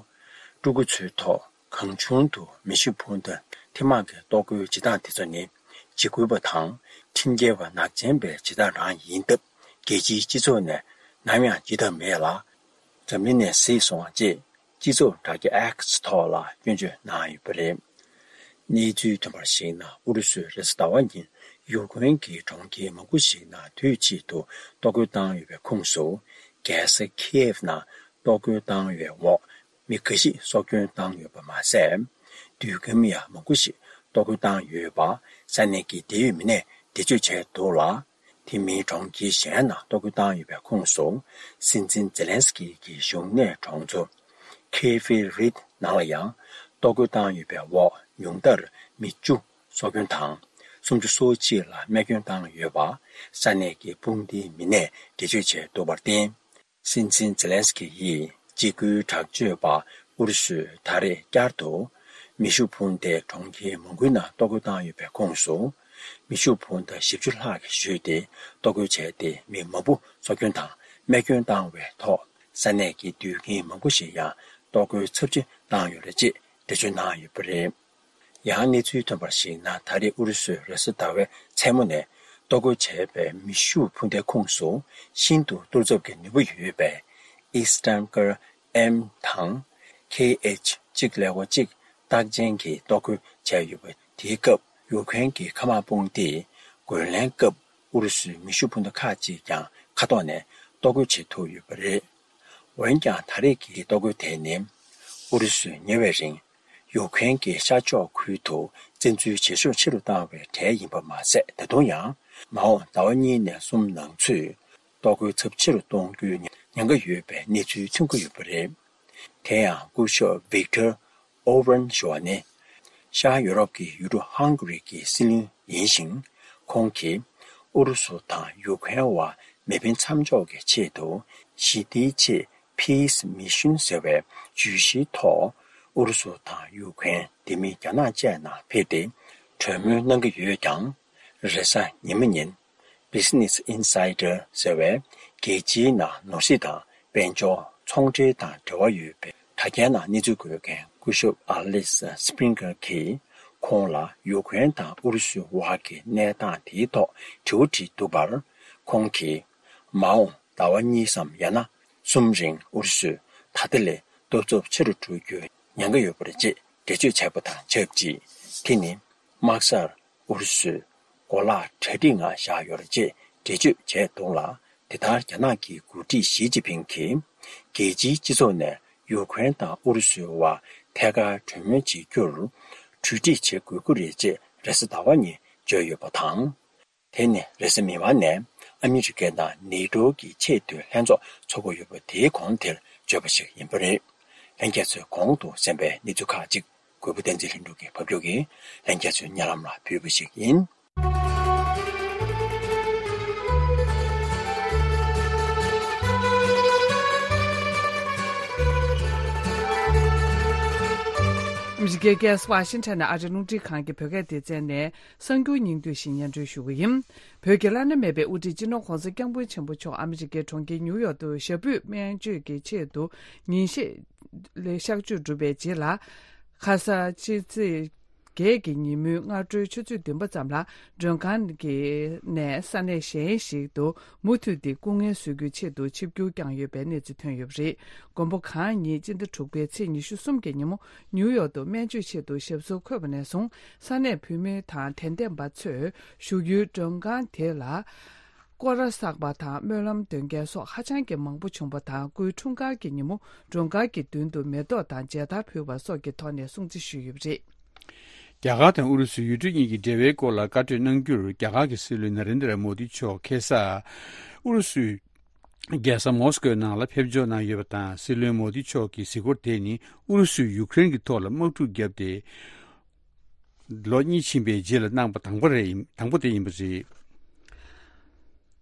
སྤྲུལ་སྐུ་ཚོའི་ཐོག་གང་བྱུང་དུ་མེ་ཤུགས་འཕུར་མདའ་ཐེངས་མང་གི་གཏོར་རྒོལ་བྱེད་སྟངས་དེ་ཚོ་ནི། འཇིགས་སྐུལ་བ་དང་ཁྲིམས་འགལ་བ་ནག་ཅན་པའི་བྱེད་སྟངས་རང་ཡིན་སྟབས། རྒྱལ་སྤྱིའི་སྤྱི་ཚོགས་ནས་ནམ་ཡང་བརྗེད་ཐབས་མེད་ལ། འཛམ་གླིང་ནས་གཟིགས་སོང་བ་ཅེས། སྤྱི་ཚོགས་དྲ་རྒྱ་X་ཐོག་ལ་སྐྱོན་བརྗོད་གནང་ཡོད་པ་རེད། གནས་ཚུལ་ཐོན་པར་གཞིགས་ན། ཨུ་རུ་སུས་རེས་གཟའ་ཟླ་བ་ཉིན་ཡུཀ་རེན་གྱི་གྲོང་ཁྱེར་མང་པོ་ཞིག་ནང་དུས་གཅིག་ཏུ་གཏོར་རྒོལ་བཏང་ཡོད་པའི་ཁོངས་སུ། རྒྱལ་ས་ཁི་ཨེབ་ནང་གཏོར་རྒོལ་བཏང་བའི་འོག་མི་འགའ་ཞིག་སྲོག་སྐྱོན་བཏང་ཡོད་པ་མ་ཟད། དུས་ཁམས་ཡང་མང་པོ་ཞིག་གཏོར་རྒོལ་བཏང་ཡོད་པ་ས་གནས་ཀྱི་འབྲེལ་ཡོད་མི་སྣས་འགྲེལ་བརྗོད་བྱས་འདུག་ལ། དེ་མིན་གྲོང་ཁྱེར་གཞན་ནང་གཏོར་རྒོལ་བཏང་ཡོད་པའི་ཁོངས་སུ། སྲིད་འཛིན་ཛེ་ལན་སི་ཀི་གི་བཞུགས་གནས་གྲོང་ཚོ་ཁེ་ཧྥེ་རིད་ནང་ལ་ཡང་གཏོར་རྒོལ་བཏང་ཡོད་པའི་འོག་ཉུང་མཐར་མི་བཅུ་སྲོག་སྐྱོན་དང་། སུམ་ཅུ་སོ་གཅིག་ལ་རྨས་སྐྱོན་བཏང་ཡོད་པ་ས་གནས་ཀྱི་དཔུང་སྡེའི་མི་སྣས་འགྲེལ་བརྗོད་བྱས་འདུག་པར་བརྟེན། སྲིད་འཛིན་ཛེ་ལན་སི་ཀི་ཡིས་འཇིགས་སྐུལ་དྲག་སྤྱོད་པ་ཨུ་རུ་སུས་ད་རེས་བསྐྱར་དུ་མེ་ཤུགས་འཕུར་མདའི་གྲོང་ཁྱེར་མང་པོའི་ནང་གཏོར་རྒོལ་བཏང་ཡོད་པའི་ཁོངས་སུ། མེ་ཤུགས་འཕུར་མདའ་བཞི་བཅུ་ལྷག་གིས་གཞུས་ཏེ་གཏོར་རྒོལ་བྱས་ཏེ། མི་མང་པོ་སྲོག་སྐྱོན་དང་རྨས་སྐྱོན་བཏང་བའི་ཐོག་ས་གནས་ཀྱི་དུད་ཁྱིམ་མང་པོ་ཞིག་ཡང་གཏོར་རྒོལ་ཚབས་ཆེ་བཏང་ཡོད་རེད་ཅེས་འགྲེལ་བརྗོད་གནང་ཡོད་པ་རེད། ཡང་གནས་ཚུལ་ཐོན་པར་གཞིགས་ན། ད་རེས་ཨུ་རུ་སུས་རེས་གཟའ་ཟླ་བའི་མཚན་མོ་ནས་གཏོར་རྒོལ་བྱས་པའི་མེ་ཤུགས་འཕུར་མདའི་ཁོངས་སུ་ཤིན་ཏུ་གཏོར་ཚབས་ཀྱི་ནུས་པ་ཡོད་པའི་ཨིས་ཊན་ཀར་ཨེམ་དང་ཁེ་ཨེཆ་གཅིག་ཀླད་ཀོར་གཅིག་རྟགས་ཅན་གྱི་གཏོར་རྒོལ་བྱས་ཡོད་པ། དེའི་སྐབས་ཡུཀ་རེན་གྱི་མཁའ་དམག་དཔུང་སྡེས་རྒོལ་ལན་སྐབས་ཨུ་རུ་སུའི་མེ་ཤུགས་འཕུར་མདའ་ཁག་ཅིག་ཀྱང་མཁའ་ཐོག་ནས་གཏོར་རྒོལ་བྱེད་ཐུབ་ཡོད་པ་རེད། འོན་ཀྱང་ད་རེས་ཀྱི་གཏོར་རྒོལ་དེ་ནི་ཨུ་རུ་སུས་ཉེ་བའི་རིང་ཡུཀ་རེན་གྱི་ཤར་ཕྱོགས་ཁུལ་དུ་བཙན་འཛུལ་བྱེད་ཤུགས་ཆེ་རུ་བཏང་བའི་གྲས་ཡིན་པ་མ་ཟད། ད་དུང་ཡང་མ་འོངས་ཟླ་བ་གཉིས་ནས་གསུམ་ནང་ཚུད་གཏོར་རྒོལ་ཚབས་ཆེ་རུ་གཏོང་རྒྱུའི་ཉེན་ཁ་ཡོད་པའི་གནས་ཚུལ་ཐོན་གྱི་ཡོད་པ་རེད། དེ་ཡང་སྐུ་ཞབས་ཝིག་ཏར་ཨོ་ཝན་ཞུ་བ་ནི་ཤར་ཡོ་རོབ་ཀྱི་ཡུལ་གྲུ་ཧང་གྷ་རི་གྱི་སྲིད་བློན་ཡིན་ཞིང་། ཁོང་གིས་ཨུ་རུ་སུ་དང་ཡུཀ་རེན་བར་མེ་འཕེན་མཚམས་འཇོག་གི་ཆེད་དུ་ཞི་བདེའི་ཆེད་Peace Mission ཟེར་བའི་བརྗོད་གཞིའི་ཐོག་ཨུ་རུ་སུ་དང་ཡུཀ་རེན། དེ་མིན་རྒྱ་ནག་བཅས་ནང་ཕེབས་ཏེ་གྲོས་མོལ་གནང་གི་ཡོད་ཀྱང་། རེས་གཟའ་ཉི་མ་ཉིན་Business Insider ཟེར་བའི་རྒྱལ་སྤྱིའི་ནང་ནོར་སྲིད་དང་དཔལ་འབྱོར། ཚོང་འབྲེལ་དང་འབྲེལ་བ་ཡོད་པའི་དྲ་རྒྱའི་ནང་གནས་ཚུལ་འགོད་མཁན་སྐུ་ཞབས་ཨ་ལིས་སི་པིན་ཀར་གྱིས་ཁོང་ལ་ཡུཀ་རེན་དང་ཨུ་རུ་སུའི་བར་གྱི་གནས་སྟངས་དེའི་ཐོག་དྲི་བ་དྲིས་འདུག་པར། ཁོང་གིས་མ་འོངས་ཟླ་བ་གཉིས་སམ་ཡང་ན་གསུམ་རིང་ཨུ་རུ་སུས་ད་ལྟ་ལས་གཏོར་ཚབས་ཆེ་རུ་འགྲོ་རྒྱུའི་ཉེན་ཁ་ཡོད་པ་རེད་ཅེས་འགྲེལ་བརྗོད་བྱས་པ་དང་ཆབས་ཅིག་དེ་ནི་དམག་སར་ཨུ་རུ་སུས་གོ་ལག་གྲ་སྒྲིག་ངང་བཞག་ཡོད་རེད་ཅེས་འགྲེལ་བརྗོད་བྱས་འདུག་ལ། དེ་ལྟར་རྒྱ་ནག་གི་འགོ་ཁྲིད་ཞི་ཅིན་ཕིང་གིས་རྒྱལ་སྤྱིའི་སྤྱི་ཚོགས་ནས་ཡུཀ་རེན་དང་ཨུ་རུ་སུའི་བར་ཐད་ཀར་གྲོས་མོལ་བྱེད་རྒྱུར་གྲོས་འགྲིག་བྱེད་དགོས་ཀྱི་རེད་ཅེས་རེས་གཟའ་ཟླ་བ་ཉིན་བརྗོད་ཡོད་པ་དང་། དེ་ནི་རེས་གཟའ་མིག་དམར་ནས་ཨ་མི་རི་ཀ་དང་ནེ་ཏོ་གི་ཆེས་མཐོའི་ལྷན་ཚོགས་འཚོགས་ཀྱི་ཡོད་པ་དེའི་གོང་དེར་བརྗོད་པ་ཞིག་ཡིན་པ་རེད། ལྷན་རྒྱས་ཚོས་གོང་དུ་གསན་པའི་གནས་ཚུལ་ཁག་ཅིག་གུས་པ་བསྟན་འཛིན་ལྷུན་གྲུབ་ཀྱིས་ཕབ་སྒྱུར་གྱིས་ལྷན་རྒྱས་ཚོའི་སྙན་ལམ་ལ་ཕུལ་བ་ཞིག་ཡིན། ཨ་མི་རི་ཀའི་རྒྱལ་ས་ཝ་ཤིང་ཊོན་ནས་ཨ་རིའི་རླུང་འཕྲིན་ཁང་གི་བོད་སྐད་སྡེ་ཚན་ནས་གསར་འགྱུར་སྙིང་བསྡུས་ཤིག་སྙན་སྒྲོན་ཞུ་གི་ཡིན། བོད་ཀྱི་བླ་ན་མེད་པའི་དབུ་ཁྲིད་སྤྱི་ནོར་༧གོང་ས་༧སྐྱབས་མགོན་ཆེན་པོ་མཆོག་ཨ་མི་རི་ཀའི་གྲོང་ཁྱེར་ཉིའུ་ཡོག་ཏུ་ཞབས་པུས་སྨན་བཅོས་ཀྱི་ཆེད་དུ་ཉིན་ཤས་ལ་གཤགས་བཅོས་གྲུབ་པའི་རྗེས་ལ། ཁ་ས་ཕྱི་ཚེས་བརྒྱད་ཀྱི་ཉིན་མོའི་སྔ་དྲོའི་ཆུ་ཚོད་བདུན་པ་ཙམ་ལ་མགྲོན་ཁང་གི་ནས་ས་གནས་གཞན་ཞིག་ཏུ་མུ་མཐུད་དེ་སྐུ་ངལ་གསོ་རྒྱུའི་ཆེད་དུ་ཆིབས་བསྒྱུར་བསྐྱངས་ཡོད་པའི་གནས་ཚུལ་ཐོན་ཡོད་པ་རེད། མགོན་པོ་གང་ཉིད་སྤྱི་ཟླ་དྲུག་པའི་ཚེས་ཉི་ཤུ་གསུམ་གྱི་ཉིན་མོ་ཉིའུ་ཡོག་ཏུ་སྨན་བཅོས་ཆེད་དུ་ཞབས་སོར་འཁོད་པ་ནས་བཟུང་ས་གནས་བོད་མི་དང་དད་ལྡན་པ་ཚོས་བཞུགས་ཡུལ་མགྲོན་ཁང་དེ་ལ། སྐོར་ར་བསགས་པ་དང་སྨོན་ལམ་འདོན་མཁན་སོགས་ཧ་ཅང་གི་མང་པོ་བྱུང་བ་དང་། སྐུའི་འཁྲུངས་སྐར་གྱི་ཉིན་མོ་མགྲོན་ཁང་གི་མདུན་དུ་མེ་ཏོག་དང་མཇལ་དར་ཕུལ་བ་སོགས་ཀྱི་ཐོག་ནས་སྲུང་བརྩི་ཞུས་ཡོད་པ་རེད། རྒྱ་གར་དང་ཨུ་རུ་སུའི་ཡུལ་གྲུ་གཉིས་ཀྱི་འབྲེལ་བའི་སྐོར་ལ་བཀའ་གྲོས་གནང་རྒྱུར་རྒྱ་གར་གྱི་སྲིད་བློན་ན་རེན་དྲ་མོ་དི་མཆོག་ཁ་སང་ཨུ་རུ་སུའི་རྒྱལ་ས་མོ་སི་ཀོའི་ནང་ལ་ཕེབས་འབྱོར་གནང་ཡོད་པ་དང་། སྲིད་བློན་མོ་དི་མཆོག་གི་གཟིགས་སྐོར་དེ་ནི་ཨུ་རུ་སུས་ཡུཀ་རེན་གྱི་ཐོག་ལ་དམག་འཁྲུག་བརྒྱབ་སྟེ། ལོ་གཉིས་ཕྱིན་པའི་རྗེས་ལ་གནང་པ་དང་པོ་རེད་ཡིན། དང་པོ་དེ་ཡིན་པ་རེད།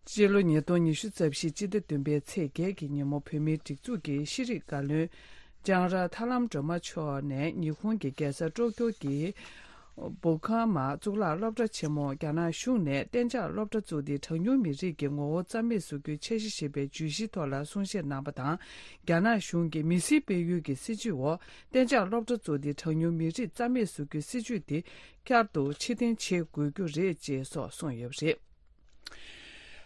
སྤྱི་ལོ་ཉིས་སྟོང་ཉི་ཤུ་རྩ་བཞི་སྤྱི་ཟླ་བདུན་པའི་ཚེས་བརྒྱད་ཀྱི་ཉིན་མོ་བོད་མིའི་སྒྲིག་འཛུགས་ཀྱི་ཤེས་རིག་བཀའ་བློན་ལྕང་ར་ཐར་ལམ་སྒྲོལ་མ་མཆོག་ནས་ཉི་ཧོང་གི་རྒྱལ་ས་ཀྲོ་ཀྱོ་གི་བུ་ཁ་མ་གཙུག་ལག་སློབ་གྲྭ་ཆེན་མོར་རྒྱ་ནག་གཞུང་ནས་གཏན་འཇགས་སློབ་གྲྭ་བཙུགས་ཏེ་གྲངས་ཉུང་མི་རིགས་ཀྱི་ངོ་བོ་རྩ་མེད་བཟོ་རྒྱུའི་འཆར་གཞི་ཞེས་པའི་བརྗོད་གཞིའི་ཐོག་ལ་གསུང་བཤད་གནང་པ་དང་། རྒྱ་ནག་གཞུང་གི་མི་སེར་སྤེལ་ཡུལ་གྱི་སྲིད་ཇུས་འོག་གཏན་འཇགས་སློབ་གྲྭ་བཙུགས་ཏེ་གྲངས་ཉུང་མི་རིགས་རྩ་མེད་བཟོ་རྒྱུའི་སྲིད་ཇུས་དེ་བསྐྱར་དུ་ཕྱིར་འཐེན་བྱེད་དགོས་རྒྱུ་རེད་ཅེས་སོགས་གསུངས་ཡོད་པ་རེད།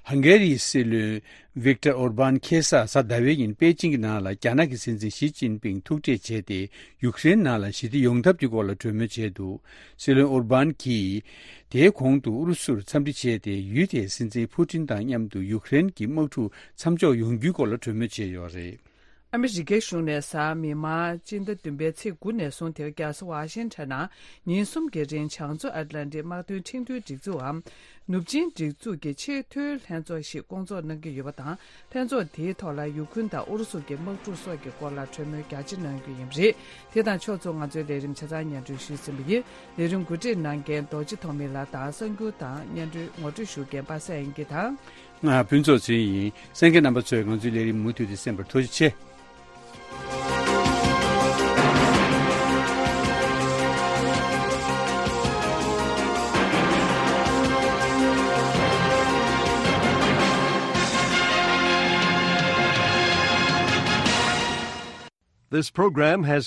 ཧང་གེ་རིའི་སྲིད་བློན་ཝིག་ཏར་ཨོར་བཱན་ཁ་སང་གཟའ་ཟླ་བའི་ཉིན་པེ་ཅིང་གི་ནང་ལ་རྒྱ་ནག་གི་སྲིད་འཛིན་ཞི་ཅིན་ཕིང་ཐུག་འཕྲད་བྱས་ཏེ། ཡུཀ་རེན་ནང་ལ་ཞི་བདེ་ཡོང་ཐབས་ཀྱི་སྐོར་ལ་གྲོས་མོལ་བྱས་འདུག་སྲིད་བློན་ཨོར་བཱན་གྱིས་དེའི་གོང་དུ་ཨུ་རུ་སུར་འཚམས་འདྲི་བྱས་ཏེ། ཡུལ་དེའི་སྲིད་འཛིན་ཕུ་ཏིན་དང་མཉམ་དུ་ཡུཀ་རེན་གྱི་དམག་འཁྲུག་མཚམས་འཇོག་ཡོང་རྒྱུའི་སྐོར་ལ་གྲོས་མོལ་བྱས་ཡོད་རེད། ཨ་མི་རི་ཀའི་གཞུང་ནས་གཟའ་མིག་དམར་སྤྱི་ཟླ་བདུན་པའི་ཚེས་དགུ་ནས་བཟུང་དེ་རྒྱལ་ས་ཝ་ཤིང་ཊོན་ནང་ཉིན་གསུམ་གྱི་རིང་བྱང་མཚོ་ཨེཊ་ལན་ཊིག་དམག་དོན་ཁྲིམས་མཐུན་སྒྲིག་འཛུགས་འམ། ནུབ་ཆིངས་སྒྲིག་འཛུགས་ཀྱི་ཆེས་མཐོའི་ལྷན་ཚོགས་ཤིག་སྐོང་ཚོགས་གནང་གི་ཡོད་པ་དང་། ལྷན་ཚོགས་དེའི་ཐོག་ལ་ཡུ་ཁུན་དང་ཨུ་རུ་སུ་གྱི་དམག་འཁྲུག་སོགས་ཀྱི་སྐོར་ལ་གྲོས་མོལ་རྒྱ་ཆེ་གནང་རྒྱུ་ཡིན་པ་རེད། དེ་དང་ཕྱོགས་མཚུངས་ང་ཚོའི་ལས་རིམ་ཆ་ཚང་སྙན་སྒྲོན་ཞུས་ཟིན་པ་ཡིན། ལས་རིམ་གོ་སྒྲིག་གནང་མཁན་རྡོ་རྗེ་ཐོགས་མེད་ལགས་དང་། གསར་འགྱུར་དང་སྙན་སྒྲོན་ངོ་སྤྲོད་ཞུ་མཁན་པ་སངས་དབྱངས་སྐྱིད་དང་། ང་ཕུན་ཚོགས་ཚེ་རིང་ཡིན། གསན་མཁན་རྣམ་པ་ཚོས་ང་ཚོའི་ལས་རིམ་མུ་མཐུད་དེ་གསན་པར་ཐུགས་རྗེ་ཆེ། This program has